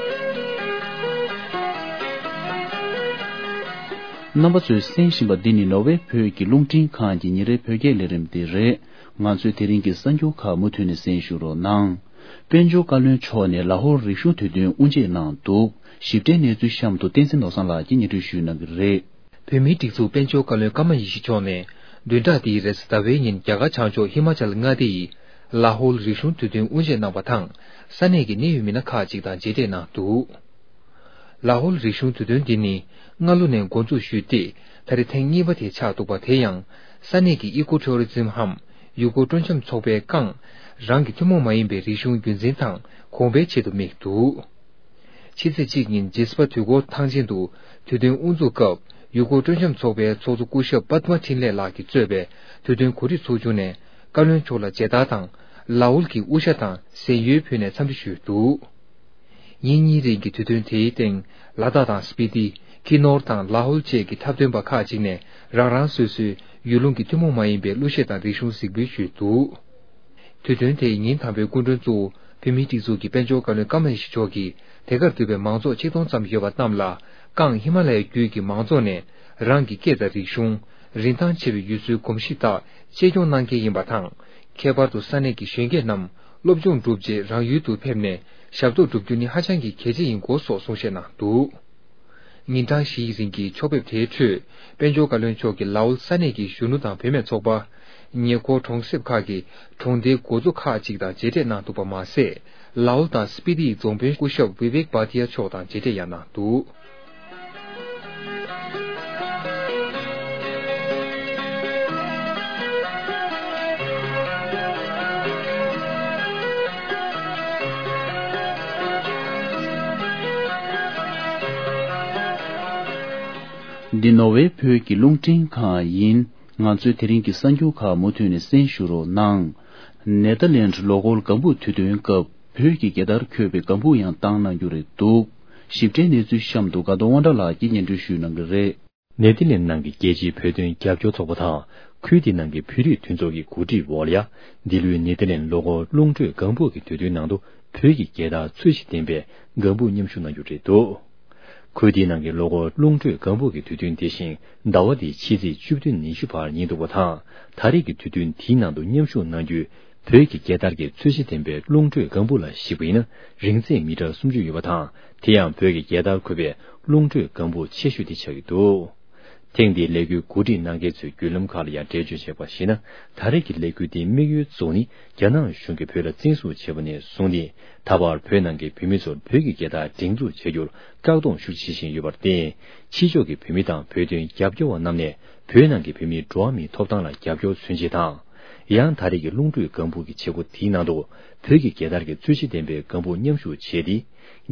རྣམ་པ་ཚོས་གསན་བཞིན་པ་འདི་ནི་ནོར་ཝེ་བོད་ཀྱི་རླུང་འཕྲིན་ཁང་གི་ཉིན་རེའི་བོད་སྐད་ལས་རིམ་དེ་རེད། ང་ཚོའི་དེ་རིང་གི་གསར་འགྱུར་ཁག་མུ་མཐུད་ནས་གསན་ཞུ་རོགས་གནང་། དཔལ་འབྱོར་བཀའ་བློན་མཆོག་ནས་ལ་ཧོར་རིག་གཞུང་དུས་སྟོན་དབུ་འབྱེད་གནང་འདུག། ཞིབ་ཕྲའི་གནས་ཚུལ་གཤམ་དུ་བསྟན་འཛིན་ནོར་བཟང་ལགས་ཀྱིས་སྙན་སྒྲོན་ཞུ་གནང་གི་རེད། བོད་མིའི་སྒྲིག་འཛུགས་དཔལ་འབྱོར་བཀའ་བློན་ཀརྨ་ཡེ་ཤེས་མཆོག་ནས་བདུན་ཕྲག་འདིའི་རེས་གཟའ་ཟླ་བའི་ཉིན་རྒྱ་གར་བྱང་ཕྱོགས་ཧི་མ་ཅལ་མངའ་སྡེ་ཡི་ལ་ཧོལ་རིག་གཞུང་དུས་སྟོན་དབུ་འབྱེད་གནང་བ་དང་། ས་གནས་ཀྱི་གནད་ཡོད་མི་སྣ་ཁག་ཅིག་དང་མཇལ་འཕྲད་གནང་འདུག། ལ་ཧོལ་རིག་གཞུང་དུས་སྟོན་འདི་ནི་སྔ་ལོ་ནས་འགོ་འཛུགས་ཞུས་ཏེ། ད་རེས་ཐེངས་གཉིས་པ་དེ་ཆགས་འདུག་པ། དེ་ཡང་ས་གནས་ཀྱི་ཨི་ཀོ་ཊུ་རི་ཛིམ་འམ་ཡུལ་སྐོར་སྤྲོ་འཆམ་ཚོགས་པས་ཀང་རང་གི་ཐུན་མོང་མ་ཡིན་པའི་རིག་གཞུང་རྒྱུན་འཛིན་དང་གོང་འཕེལ་ཆེད་དུ་དམིགས་འདུག། ཕྱི་ཚེས་གཅིག་ཉིན་ཇེ་སི་པ་དུས་འཁོར་ཐང་ཆེན་དུ་དུས་སྟོན་དབུ་འཛུགས་སྐབས། ཡུལ་སྐོར་སྤྲོ་འཆམ་ཚོགས་པའི་ཚོགས་གཙོ་སྐུ་ཞབས་པདྨ་འཕྲིན་ལས་ལགས་ཀྱིས་གཙོས་པའི་དུས་སྟོན་གོ་སྒྲིག་ཚོགས་ཆུང་ནས་བཀའ་བློན་མཆོག་ལ་མཇལ་དར་དང་། ལ་ཧོལ་གྱི་དབུ་ཞྭ་དང་གཟན་ཡོལ་ཕུལ་ནས་འཚམས་འདྲི་ཞུས་འདུག། ཉིན་གཉིས་རིང་གི་དུས་སྟོན་དེའི་སྟེང་། ལ་དྭགས་དང་སྤི་ཏི། ཁི་ནོར་དང་ལ་ཧོལ་བཅས་ཀྱི་འཁྲབ་སྟོན་པ་ཁག་ཅིག་ནས་རང་རང་སོ་སོའི་ཡུལ་ལུང་གི་ཐུན་མོང་མ་ཡིན་པའི་གླུ་གཞས་དང་རིག་གཞུང་གཟིགས་འབུལ་ཞུས་འདུག། དུས་སྟོན་དེའི་ཉིན་དང་པོའི་སྐུ་མགྲོན་གཙོ་བོ་བོད་མིའི་སྒྲིག་འཛུགས་ཀྱི་དཔལ་འབྱོར་བཀའ་བློན་ཀརྨ་ཡེ་ཤེས་མཆོག་གིས། དེ་གར་འདུས་པའི་མང་ཚོགས་ཆིག་སྟོང་ཙམ་ཡོད་པ་རྣམས་ལ། ཀང་ཧི་མ་ལ་ཡའི་རྒྱུད་ཀྱི་མང་ཚོགས་ནས་རང་གི་སྐད་དང་རིག་གཞུང་། རིན་ཐང་ཆེ་བའི་ཡུལ་སྲོལ་གོམས་གཤིས་དག་གཅེས་སྐྱོང་གནང་གལ་ཡིན་པ་དང་། ཁྱད་པར་དུ་ས་གནས་ཀྱི་གཞོན་སྐྱེས་རྣམས་སློབ་སྦྱོང་བསྒྲུབས་རྗེས་རང་ཡུལ་དུ་ཕེབས་ནས་ཞབས་ཏོག་བསྒྲུབ་རྒྱུ་ནི་ཧ་ཅང་གི་གལ་ཆེ་ཡིན་སྐོར་སོགས་གསུང་བཤད་གནང་འདུག། ཉིན་གྲངས་བཞིའི་རིང་གི་ཕྱོགས་ཕེབས་དེའི་ཁྲོད། དཔལ་འབྱོར་བཀའ་བློན་མཆོག་གིས་ལ་ཨོལ་ས་གནས་ཀྱི་གཞོན་ནུ་དང་བུད་མེད་ཚོགས་པ། ཉེ་འཁོར་གྲོང་གསེབ་ཁག་གི་གྲོང་སྡེའི་འགོ་གཙོ་ཁག་ཅིག་དང་མཇལ་འཕྲད་གནང་འདུག་པ་མ་ཟད། ལ་ཨོལ་དང་སྤི་ཏིའི་རྫོང་དཔོན་སྐུ་ཞབས་བི་བེག་བྷ་ཏི་ཡ་མཆོག་དང་མཇལ་འཕྲད་ཡང་གནང་འདུག། འདི་ནོར་ཝེ་བོད་ཀྱི་རླུང་འཕྲིན་ཁང་ཡིན། ང་ཚོའི་དེ་རིང་གི་གསར་འགྱུར་ཁག་མུ་མཐུད་ནས་གསན་ཞུ་རོགས་གནང་། ནེ་ཐར་ལེནཌ་ལོ་འཁོར་ལྒང་བུ་དུས་སྟོན་སྐབས། བོད་ཀྱི་རྒྱལ་དར་འཁོད་པའི་ལྒང་བུ་ཡང་བཏང་གནང་རྒྱུ་རེད་འདུག། ཞིབ་ཕྲའི་གནས་ཚུལ་གཤམ་དུ་དགའ་གདོང་དབང་གྲགས་ལགས་ཀྱིས་སྙན་སྒྲོན་ཞུ་གནང་གི་རེད། ནེ་ཐར་ལེནཌ་ནང་གི་རྒྱལ་སྤྱིའི་བོད་དོན་རྒྱབ་སྐྱོར་ཚོགས་པ་དང་། ཁུལ་དེའི་ནང་གི་བོད་རིགས་མཐུན་ཚོགས་ཀྱི་གོ་སྒྲིག་འོག་ལ་ཡ། འདི་ལོའི་ནེ་ཐར་ལེནཌ་ལོ་འཁོར་རླུང་འཕྲོད་ལྒང་བུ་གི་དུས་སྟོན་ནང་དུ། བོད་ཀྱི་རྒྱལ་དར་ཚོས་གཞི་ལྡན་པའི་ལྒང་བུ་མཉམ་ཞུགས་གནང་རྒྱུ་རེད་འདུག། ཁུལ་དེའི་ནང་གི་ལོ་འཁོར་རླུང་འཕྲོད་ལྒང་བུ་གི་དུས་སྟོན་དེ་བཞིན་ཟླ་བ་འདིའི་ཕྱི་ཚེས་བཅུ་བདུན་ཉི་ཤུ་བར་ཡིན་འདུག་པ་དང་། ད་རེས་ཀྱི་དུས་སྟོན་དེའི་ནང་དུ་མཉམ་ཞུགས་གནང་རྒྱུའི་བོད་ཀྱི་རྒྱལ་དར་གྱི་ཚོས་གཞི་ལྡན་པའི་རླུང་འཕྲོད་ལྒང་བུ་ལ་གཞིགས་པ་ཡིན་ན། རིང་ཚད་མི་ཊར་སུམ་ཅུ་ཡོད་པ་དང་། དེ་ཡང་བོད་ཀྱི་རྒྱལ་དར་འཁོད་པའི་རླུང་འཕྲོད་ལྒང་བུ་ཆེ་ཤོས་དེ་ཆགས་ཀྱི་འདུག། ཐེངས་འདིའི་ལས་འགུལ་གོ་སྒྲིག་གནང་མཁན་ཚོའི་བརྒྱུད་ལམ་ཁག་ལ་ཡང་འགྲེལ་བརྗོད་བྱས་པར་གཞིགས་ན། ད་རེས་ཀྱི་ལས་འགུལ་འདིའི་དམིགས་ཡུལ་གཙོ་བོ་ནི། རྒྱ་ནག་གཞུང་གིས་བོད་ལ་བཙན་བཟུང་བྱས་པ་ནས་བཟུང་སྟེ། ད་བར་བོད་ནང་གི་བོད་མི་ཚོར་བོད་ཀྱི་རྒྱལ་དར་སྒྲེང་འཛུགས་བྱ་རྒྱུར་བཀག་སྡོམ་ཤུགས་ཆེ་བཞིན་ཡོད་པར་བརྟེན། ཕྱི་ཕྱོགས་ཀྱི་བོད་མི་དང་བོད་དོན་རྒྱབ་སྐྱོར་བ་རྣམས་ནས། བོད་ནང་གི་བོད་མིའི་འགྲོ་བ་མིའི་ཐོབ་ཐང་ལ་རྒྱབ་སྐྱོར་མཚོན་ཆེད་དང་། ཡང་ད་རེས་ཀྱི་རླུང་འཕྲོད་ལྒང་བུ་གི་བྱེད་སྒོ་དེའི་ནང་དུ། བོད་ཀྱི་རྒྱལ་དར་གྱི་ཚོས་གཞི་ལྡན་པའི་ལྒང་བུ་མཉམ་ཞུགས་བྱས་ཏེ།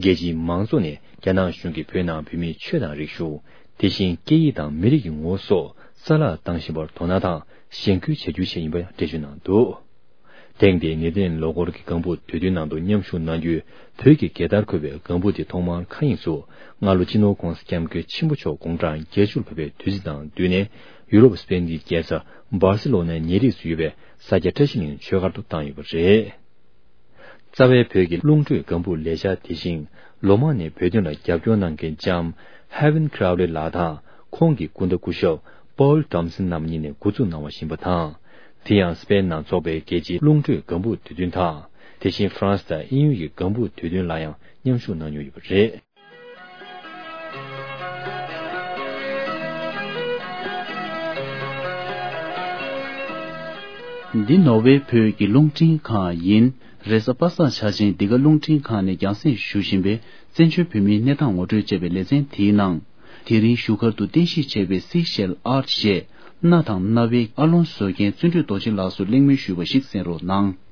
རྒྱལ་སྤྱིའི་མང་ཚོགས་ནས་རྒྱ་ནག་གཞུང་གིས་བོད་ནང་བོད་མིའི་ཆོས་དང་རིག་གཞུང་། དེ་བཞིན་སྐད་ཡིག་དང་མི་རིགས་ཀྱི་ངོ་བོ་སོགས་རྩ་བརླག་བཏང་བཞིན་པར་དོ་སྣང་དང་གཞེན་སྐུལ་བྱ་རྒྱུ་ཞིག་ཡིན་པ་འགྲེལ་བརྗོད་གནང་འདུག། ཐེངས་འདིའི་ནེ་ཐར་ལེནཌ་ལོ་འཁོར་གྱི་ལྒང་བུ་དུས་སྟོན་ནང་དུ་མཉམ་ཞུགས་གནང་རྒྱུའི་བོད་ཀྱི་རྒྱལ་དར་འཁོད་པའི་ལྒང་བུ་དེ་ཐོག་མར་མཁའ་དབྱིངས་སུ་སྔ་ལོ་སྤྱི་ནོར་༧གོང་ས་༧སྐྱབས་མགོན་ཆེན་པོ་མཆོག་དགུང་གྲངས་བརྒྱད་ཅུར་ཕེབས་པའི་དུས་ཚིགས་དང་བསྟུན་ནས། ཡུ་རོབ་སྤེན་གྱི་རྒྱལ་ས་སྦར་སེ་ལོ་ནའི་ཉེ་རིགས་སུ་ཡོད་པའི་ས་སྐྱ་བཀྲ་ཤིས་གླིང་ཆོས་སྒར་དུ་བཏང་ཡོད་པ་རེད། རྩ་བའི་བོད་ཀྱི་རླུང་འཕྲོད་ལྒང་བུ་ལས་འཆར་དེ་བཞིན། ལོ་མང་ནས་བོད་དོན་ལ་རྒྱབ་སྐྱོར་གནང་མཁན་ལྕམ་ཧེ་ཝན་ཁྲའོ་ལེ་ལགས་དང་། ཁོང་གི་སྐུ་ཟླ་སྐུ་ཞབས་པོལ་ཐོམ་སན་རྣམ་གཉིས་ནས་འགོ་འཛུགས་གནང་བ་ཡིན་པ་དང་། དེ་ཡང་སྤེན་ནང་འཚོགས་པའི་རྒྱལ་སྤྱིའི་རླུང་འཕྲོད་ལྒང་བུ་དུས་སྟོན་དང་། དེ་བཞིན་ཧྥ་རན་སི་དང་དབྱིན་ཡུལ་གྱི་ལྒང་བུ་དུས་སྟོན་ལ་ཡང་མཉམ་ཞུགས་གནང་མྱོང་ཡོད་པ་རེད། འདི་ནོར་ཝེ་བོད་ཀྱི་རླུང་འཕྲིན་ཁང་ཡིན། རེས་གཟའ་པ་སངས་འཆར་ཅན་འདི་ག་རླུང་འཕྲིན་ཁང་ནས་རྒྱང་སྲིང་ཞུ་བཞིན་པའི་བཙན་བྱོལ་བོད་མིའི་གནས་སྟངས་ངོ་སྤྲོད་ཅེས་པའི་ལེ་ཚན་དེའི་ནང་། དེ་རིང་བཞུགས་སྒར་དུ་རྟེན་གཞི་བྱས་པའི་སི་ཤེལ་ཨར་ཞེས་གནའ་དང་གནའ་བོའི་ཨ་ལོང་བཟོ་མཁན་བརྩོན་འགྲུས་རྡོ་རྗེ་ལགས་སུ་གླེང་མོལ་ཞུས་པ་ཞིག་གསན་རོགས་གནང་།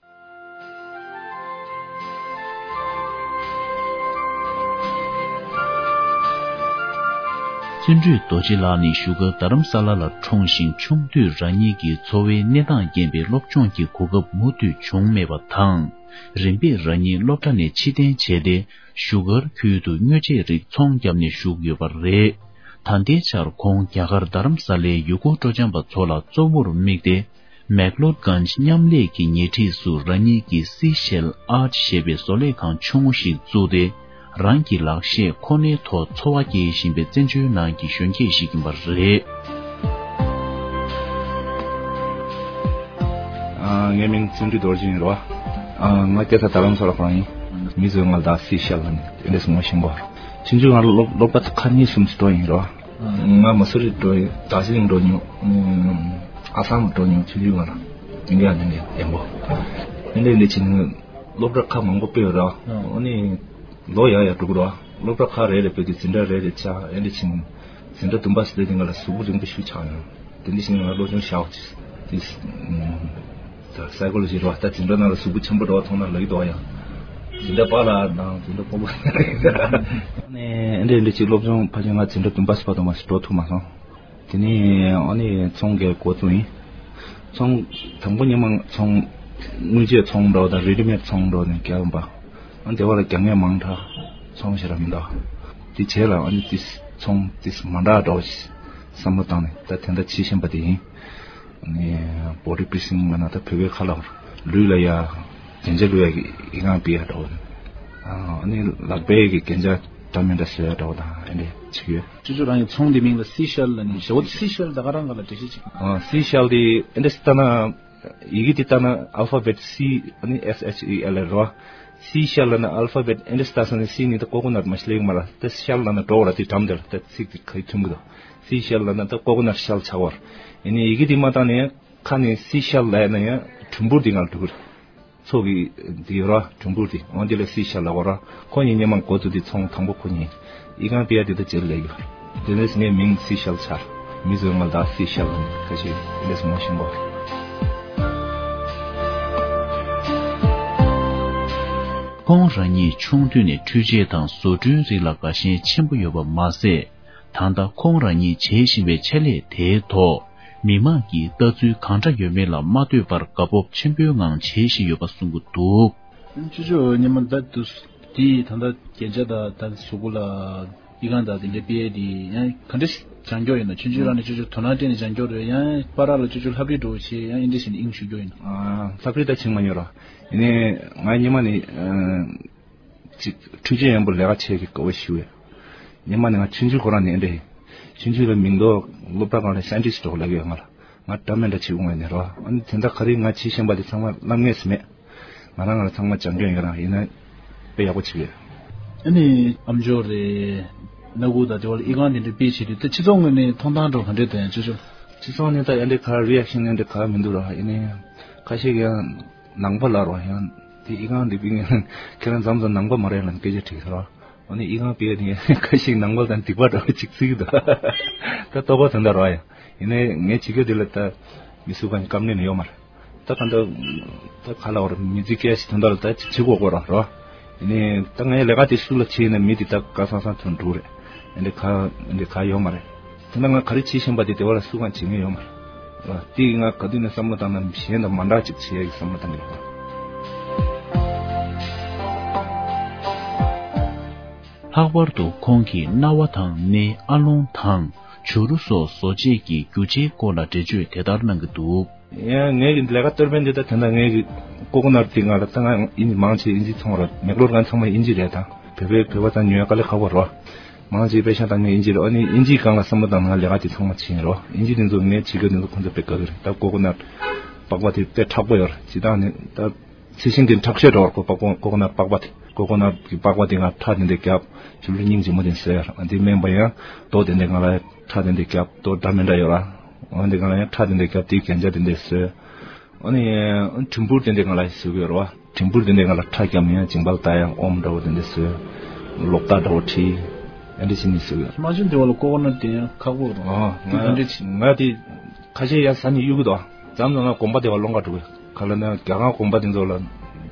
བརྩོན་འགྲུས་རྡོ་རྗེ་ལགས་ནི་བཞུགས་སྒར་རྡ་རམ་ས་ལ་ལ་འཁྲུངས་ཤིང་། ཆུང་དུས་རང་ཉིད་ཀྱི་འཚོ་བའི་གནས་སྟངས་རྐྱེན་པས་སློབ་སྦྱོང་གི་གོ་སྐབས་མུ་མཐུད་བྱུང་མེད་པ་དང་། རིམ་པས་རང་ཉིད་སློབ་གྲྭ་ནས་ཕྱིར་འཐེན་བྱས་ཏེ། བཞུགས་སྒར་ཁུལ་དུ་དངོས་ཆས་རིགས་ཚོང་བརྒྱབ་ནས་བཞུགས་ཡོད་པ་རེད། ད་ལྟའི་ཆར་ཁོང་རྒྱ་གར་རྡ་རམ་ས་ལའི་ཡུལ་སྐོར་སྤྲོ་འཆམ་པ་ཚོ་ལ་གཙོ་བོར་དམིགས་ཏེ། མེག་ལོར་གྷན་ཇི་མཉམ་ལས་ཀྱི་ཉེ་འཁྲིས་སུ་རང་ཉིད་ཀྱི་སི་ཤེལ་ཨར་ཞེས་པའི་བཟོ་ལས་ཁང་ཆུང་ངུ་ཞིག་བཙུགས་ཏེ། རང་གི་ལག་ཤེས་ཁོ་ནའི་ཐོག་འཚོ་བ་སྐྱེལ་བཞིན་པའི་བཙན་བྱོལ་ནང་གི་གཞོན་སྐྱེས་ཤིག་ཡིན་པ་རེད། ཨ། ངའི་མིང་བརྩོན་འགྲུས་རྡོ་རྗེ་ཡིན་རོ། ཨ། ང་སྐྱེས་ས་རྡ་རམ་ས་ལ་ཁོ་རང་ཡིན། མི་ཚོས་ང་ལ་ད་སི་ཤལ་ལ་ནི་ཨེ་འདྲས་ངོ་ཤེས་པ། ཆུང་ཆུང་ང་སློབ་སློབ་གྲྭ་ཁ་གཉིས་གསུམ་ཞིག་འགྲོ་ཡིན་རོ། ང་མ་སུ་རི་འགྲོ་ཡིན། དར་ཇི་ལིང་འགྲོ་མྱོང་། ཨ་སམ་འགྲོ་མྱོང་། ཆུང་ཆུང་ང་རང་དེ་འདྲ་དེ་འདྲ་ཡན་པོ། དེ་འདྲ་དེ་འདྲ་བྱས་ནས་སློབ་གྲྭ་ཁག་མང་པོ་སྤོས་ར། ཨ་ནི་ལོ་ཡར་ཡར་འགྲོ་གི་ར། སློབ་གྲྭ་ཁག་རེ་རེ་སྤོས་ཏེ་འཛིན་གྲྭ་རེ་རེ་ཆགས། ཨེ་འདྲ་བྱས་ནས་འཛིན་གྲྭ་བདུན་པ་ཟེར་དེ་ང་ལ་གཟུགས་པོ་རིང་པོ་ཞིག་ཆགས་ཡོང་། དེ་འདྲ་བྱས་ནས་ང་སློབ་སྦྱོང་བྱས་ཏེ། ད་སའི་ཀོ་ལོ་ཇི་རེད་བ། ད་འཛིན་གྲྭ་ནང་ལ་གཟུགས་པོ་ཆེན་པོ་འདྲ་བ་མཐོང་ན་ལབ་ཀྱི་འདུག་ཡ། འཛིན་གྲྭ་པ་ལགས་དང་འཛིན་གྲྭ་སྤོ་བོ། ཨ་ནི་ཨེ་འདྲ་ཨེ་འདྲ་ཅིག་སློབ་སྦྱོང་ཕལ་ཆེར་ང་འཛིན་གྲྭ་བདུན་པ་ཟེར་བ་དང་མ་ཞིག་འགྲོ་ཐུབ་མ་སོང་། དེ་ནས་ཨ་ནི་ཚོང་རྒྱག་འགོ་བཙུགས་ཡིན། ཚོང་དང་པོ་ཉི་མ་ཚོང་དངུལ་ཆད་ཚོང་འདྲ་བ་དང་རེ་ཌི་མེད་ཚོང་འདྲ་བ་ནས་རྒྱག་ཡིན་པ། ཨ་དེ་བ་ལ་རྒྱག་མཁན་མང་དྲགས། ཚོང་ཞེ་དྲག་མི་འདུག་དེ་རྗེས་ལ་ཨ་ནི་དེ་ཚོང་དེ་མ་འདྲ་འདྲ་བ་ཞིག་བསམ་བློ་བཏང་ནས་ད་དེ་འདྲ་བྱེད་བཞིན་པ་དེ་ཡིན། ནས་བོ་ཌི་པི་སིང་ལབ་ན་ད་བོད་པའི་ཁ་ལ་ལུས་ལ་ཡ་རྒྱན་ཆ་བླུག་ཡ་གི་ཨི་ཁང་སྤྲད་ཡ་འདྲ་བོ། ཨ་ནི་ལག་པའི་གི་རྒྱན་ཆ་འདྲ་མི་འདྲ་བཟོ་ཡ་འདྲ་བོ་དང་ཨེ་འདྲ་བྱེད་ཀྱི་ཡོད། ཅོ་ཅོ་རང་གི་ཚོང་དེ་མིང་ལ་སི་ཤལ་ལབ་ནི། ཞེ་བོ་སི་ཤལ་ད་ག་རང་ག་ལ་འགྲེལ་བཤད་ཅིག་ཨ། སི་ཤལ་དེ་ཨེ་འདྲ་ལྟ་ན། ཡི་གེ་དེ་ལྟ་ན་ཨལ་ཕ་བེད་སི་ཨ་ནི་ཨེས་ཨེཆ་ཨི་ཨེལ་རེད་བ། སི་ཤལ་ལབ་ན་ཨལ་ཕ་བེད་ཨེ་འདྲ་ལྟ་སོང་ནས་སི་ནི་ད་ཀོ་ཀོ་ནཊ་མ་ཤི་ལེགས་མ་ལ། ད་ཤལ་ལབ་ན་འགྲོ་བ་ལ་དེ་འགྲམ་དེ་ལ་ད་ཚིག་དེ་ག་ཡི་མཐུན་གི་འདུག་སི་ཤལ་ལབ་ན་ད་ཀོ་ཀོ་ནཊ་ཤལ་ཆགས་བར། ཡིན་ནའི་ཡི་གེ་དེ་མ་བཏང་ནས་ཁ་ནས་སི་ཤལ་ལབ་ན་ཡང་གྲུམ་བུར་དེ་ང་ལ་འགྲོ་གི་རེད། མཚོ་གི་དེ་ཡོད་ར། གྲུམ་བུར་དེ་འོང་དེ་ལ་སི་ཤལ་ལབ་གོ་ར། ཁོ་ཡིན་སྔོན་མ་འགོ་བཙུགས་དེ་ཚོང་དང་པོ་ཁོ་ཡིན། ཨི་ཁང་སྤྲད་ཡ་དེ་ད་རྗེས་ལ་ཡོད། དེ་ནས་ངའི་མིང་སི་ཤལ་ཆགས། མི་ཚོས་ང་ལ་ད་སི་ཤལ་ལབ་ནས་ཁ་ཤས་ལས་སུ་མ་ཤེས་པ། ཁོང་རང་ཉིད་ཆུང་དུས་ནས་འཕྲུལ་ཆས་དང་བཟོ་སྐྲུན་རིགས་ལ་དགའ་ཞེན་ཆེན་པོ་ཡོད་པ་མ་ཟད། ད་ལྟ་ཁོང་རང་ཉིད་བྱེད་བཞིན་པའི་ཆེད་ལས་དེའི་ཐོག་མི་མང་གིས་ལྟ་ཚུལ་གང་འདྲ་ཡོད་མེད་ལ་མ་ལྟོས་པར་དགའ་སྤོབས་ཆེན་པོའི་ངང་བྱེད་བཞིན་ཡོད་པ་གསུང་གི་འདུག་ཅོ་ཅོ་ཉི་མ་ད་དུ་དེ་ད་ལྟ་རྒྱན་ཆ་དང་ད་གཟུགས་པོ་ལ་ཨི་ཁང་དང་དེ་འདྲའི་སྤྲད་དེ་ཡང་ག་འདྲ་ཞིག་སྦྱང་འགྱོ་ཡིན་ན། ཆུང་ཆུང་རང་ནས་ཅོ་ཅོ་དོ་སྣང་སྤྲད་ནས་སྦྱང་འགྱོ་རེད། ཡང་པར་ལ་ཅོ་ཅོ་ལྷ་བྲིས་འགྲོ་བྱས་ཡང་ཨིན་འདྲ་ཞིག་ནས་དབྱིངས་ཞུགས་འགྱོ་ཡིན། ལྷ་བྲིས་ད་བྱིང་མ་མྱོང་ར། ཡིན་ནའི་ང་ཉི་མ་ནས། ཅིག་འཕྲུལ་ཆས་ཡོན་པོ་ལས་ཀ་བྱེད་ཀྱི་དགའ་བོ་ཞུ་ཡ། ཉི་མ་ནས་ང་ཆུང་ཆུང་ཁོ་རང་ནས་འདྲེ། ཆུང་ཆུང་ལ་མིང་འདོགས་སློབ་གྲྭ་སྒང་ལ་ཤན་ཏི་སི་འགྲོ་ལབ་ཡོད་ང་ལ། ང་འདྲ་མི་འདྲ་བྱེད་འོང་ཡ་ནས་རོ། ཨ་ནི་དེ་འདྲ་ག་རེ་ང་བྱེད་བཞིན་པ་དེ་ཚང་མ་ལབ་ངེས་སུ་མེད། ང་རང་ང་ལ་ཚང་མ་སྦྱང་སྐྱོན་ཡོད་རང་ཡིན་ན་དཔེ་ཡག་པོ་བྱེད་ཡོད། ཨ་ནི་ཨམ་ཅོག་རེད། སྣ་ཁུག་དང་དེ་བ་ལ་ཨི་ཁང་དེ་འདྲ་དཔེ་བྱེད་དུས་ད་སྤྱི་ཚོགས་ངོས་ནས་མཐོང་སྟངས་འགྲོ་ག་འདྲས་དང་ཡང་ཅོ་ཅོ། སྤྱི་ཚོགས་ནས་ད་ཨེ་འདྲ་ག་རི་ཨེག་ཤན་ཨེ་འདྲ་ག་མི་འདུག་ར། ཡིན་ནའི་ཁ་ཤས་ཀྱང་ནང་པ་ལ་རོ་ཡང་དེ་ཨི་ཁང་འདི་པི་ངན་ཁྱེད་རང་མཚམས་མཚམས་ནང་པ་མ་རེད་ལ་སྐད་ཆ་དྲིས་ཟེར་རོ། འོ་ནི་ཨི་ཁང་པི་ཡ་དེ་ཁ་ཤས་ནང་པ་དང་སྡིག་པ་འདྲ་བ་ཅིག་བརྩི་གི་འདུག་ད་ལྟོ་གོ་དོན་དག་རོ་ཡ། ཡིན་ནའི་ངས་བྱེད་རྒྱུ་དེ་ལ་ད་མི་སུ་གང་བཀའ་མནན་ཡོད་མ་རེད། ད་ག་འདྲ་ད་ག་ལ་བར་མི་ཚེ་སྐྱེལ་ཞིག་དོན་དག་ལ་ད་ཅིག་བྱེད་དགོས་དགོས་རོ་རོ། ཡིན་ནའི་ད་ངའི་ལས་ཀ་དེ་སུ་ལ་བྱེད་ཡིན་ན་མི་དེ་ད་ག་སང་སང་དོན་འགྲུབ་རེད། ཡིན་ནའི་ག་ཡིན་ནའི་ག་ཡོད་མ་རེད། དེ་ན་ང་ག་རེ་བྱེད་བཞིན་པ་དེ་དེ་བ་ལ་སུ་གང་བྱེད་མཁན་ཡོད་མ་རེད། དེ་ང་ག་དུས་ནས་བསམ་བློ་བཏང་ན་གཞན་དང་མ་འདྲ་ཅིག་བྱེད་ཡ་གི་བསམ་བློ་བཏང་གི་ཡོད། ལྷག་པར་དུ་ཁོང་གིས་རྣ་བ་དང་སྣའི་ཨ་ལོང་དང་བྱུ་རུ་སོགས་བཟོ་བྱེད་ཀྱི་རྒྱུ་ཆའི་སྐོར་ལ་འགྲེལ་བརྗོད་དེ་ལྟར་གནང་གི་འདུག་ཡང་ངའི་གི་ལས་ཀ་གཏོར་ཕན་འདི་ད་དེ་འདྲ་ངའི་གི་ཀོ་ཀོ་ནཊ་འདི་ང་ལ་ད་ང་ཨིན་ཇི་མང་ཆེ་ཨིན་ཇི་ཚོང་ར་མེག་ལོར་གང་ཚང་མ་ཨིན་ཇི་རེད། ད་བོད་པའི་བོད་པ་ཚང་ཉོ་ཡ་དཀའ་ལས་ཁག་པོ་རོ། མང་ཆེ་པེ་ཤ་དང་ངའི་ཨིན་ཇི་རེད། ཨ་ནི་ཨིན་ཇི་སྒང་ལ་བསམ་བློ་བཏང་ན་ང་ལས་ཀ་དེ་ཚང་མ་བྱེད་ཡིན་རོ། ཨིན་ཇི་དེ་ཚོ་ངའི་བྱེད་སྒོ་དེ་ཚོ་ཁོང་ཚོ་དཔེ་དགའ་གི་རེད། ད་ཀོ་ཀོ་ནཊ་པགས་པ་དེ་དཔེ་མཁྲེགས་པོ་ཡོད་རེད། ཇི་ལྟར་ནི་ད་ཚི་ཤིང་དེ་མཁྲེགས་ཤོས་འགྲོ་བར་ཀོ་པགས་པ་ཀོ་ཀོ་ནཊ་པགས་པ་དེ་ཀོ་ཀོ་ནཊ་གི་པགས་པ་དེ་ང་ཁྲག་དེ་འདྲ་རྒྱབ་ཆུ་ལུད་སྙིང་རྗེ་མོ་དེ་བཟོས་ཡོད་རེད། ཨ་དེ་སྨན་པ་ཡང་རྡོ་དེ་འདྲ་ང་ལ་ཁྲག་དེ་འདྲ་རྒྱབ་རྡོ་འདྲ་མི་འདྲ་ཡོད་ར། ཨ་དེ་ང་ལ་ཡང་ཁྲག་དེ་འདྲ་རྒྱབ་དེའི་རྒྱན་ཆ་དེ་འདྲ་བཟོས། ཨ་ནི་གྲིམ་ཕུར་དེ་འདྲ་ང་ལ་བཟོས་ཡོད་རེད་བ། གྲིམ་ཕུར་དེ་འདྲ་ང་ལ་ཁྲག་རྒྱབ་ནས་ཡང་མཇིང་པ་ལ་ལྟ་ཡང་ཨོམ་འདྲ་བོ་དེ་འདྲ་བཟོས། ལོག་ལྟ་འདྲ་བོ་བྲིས། ཨ་འདྲ་བྱས་ནས་བཟོས་ཡོད། མ་བྱུང་དེ་བ་ལ་ཀོ་ཀོ་ནཊ་དེ་ཡང་ཁག་པོ་རེད། ཨ་དེ་ག་འདྲ་བྱས། ང་དེ་ཁ་ཤས་ཡང་ཟ་ནས་གཡུག་གི་འདུག་མཚམས་མཚམས་ང་གོམ་པ་དེ་བ་སློང་ག་འགྲོ་གི། ག་ལ་ན་རྒྱ་གར་གོམ་པ་དེ་ཚོ་ལ་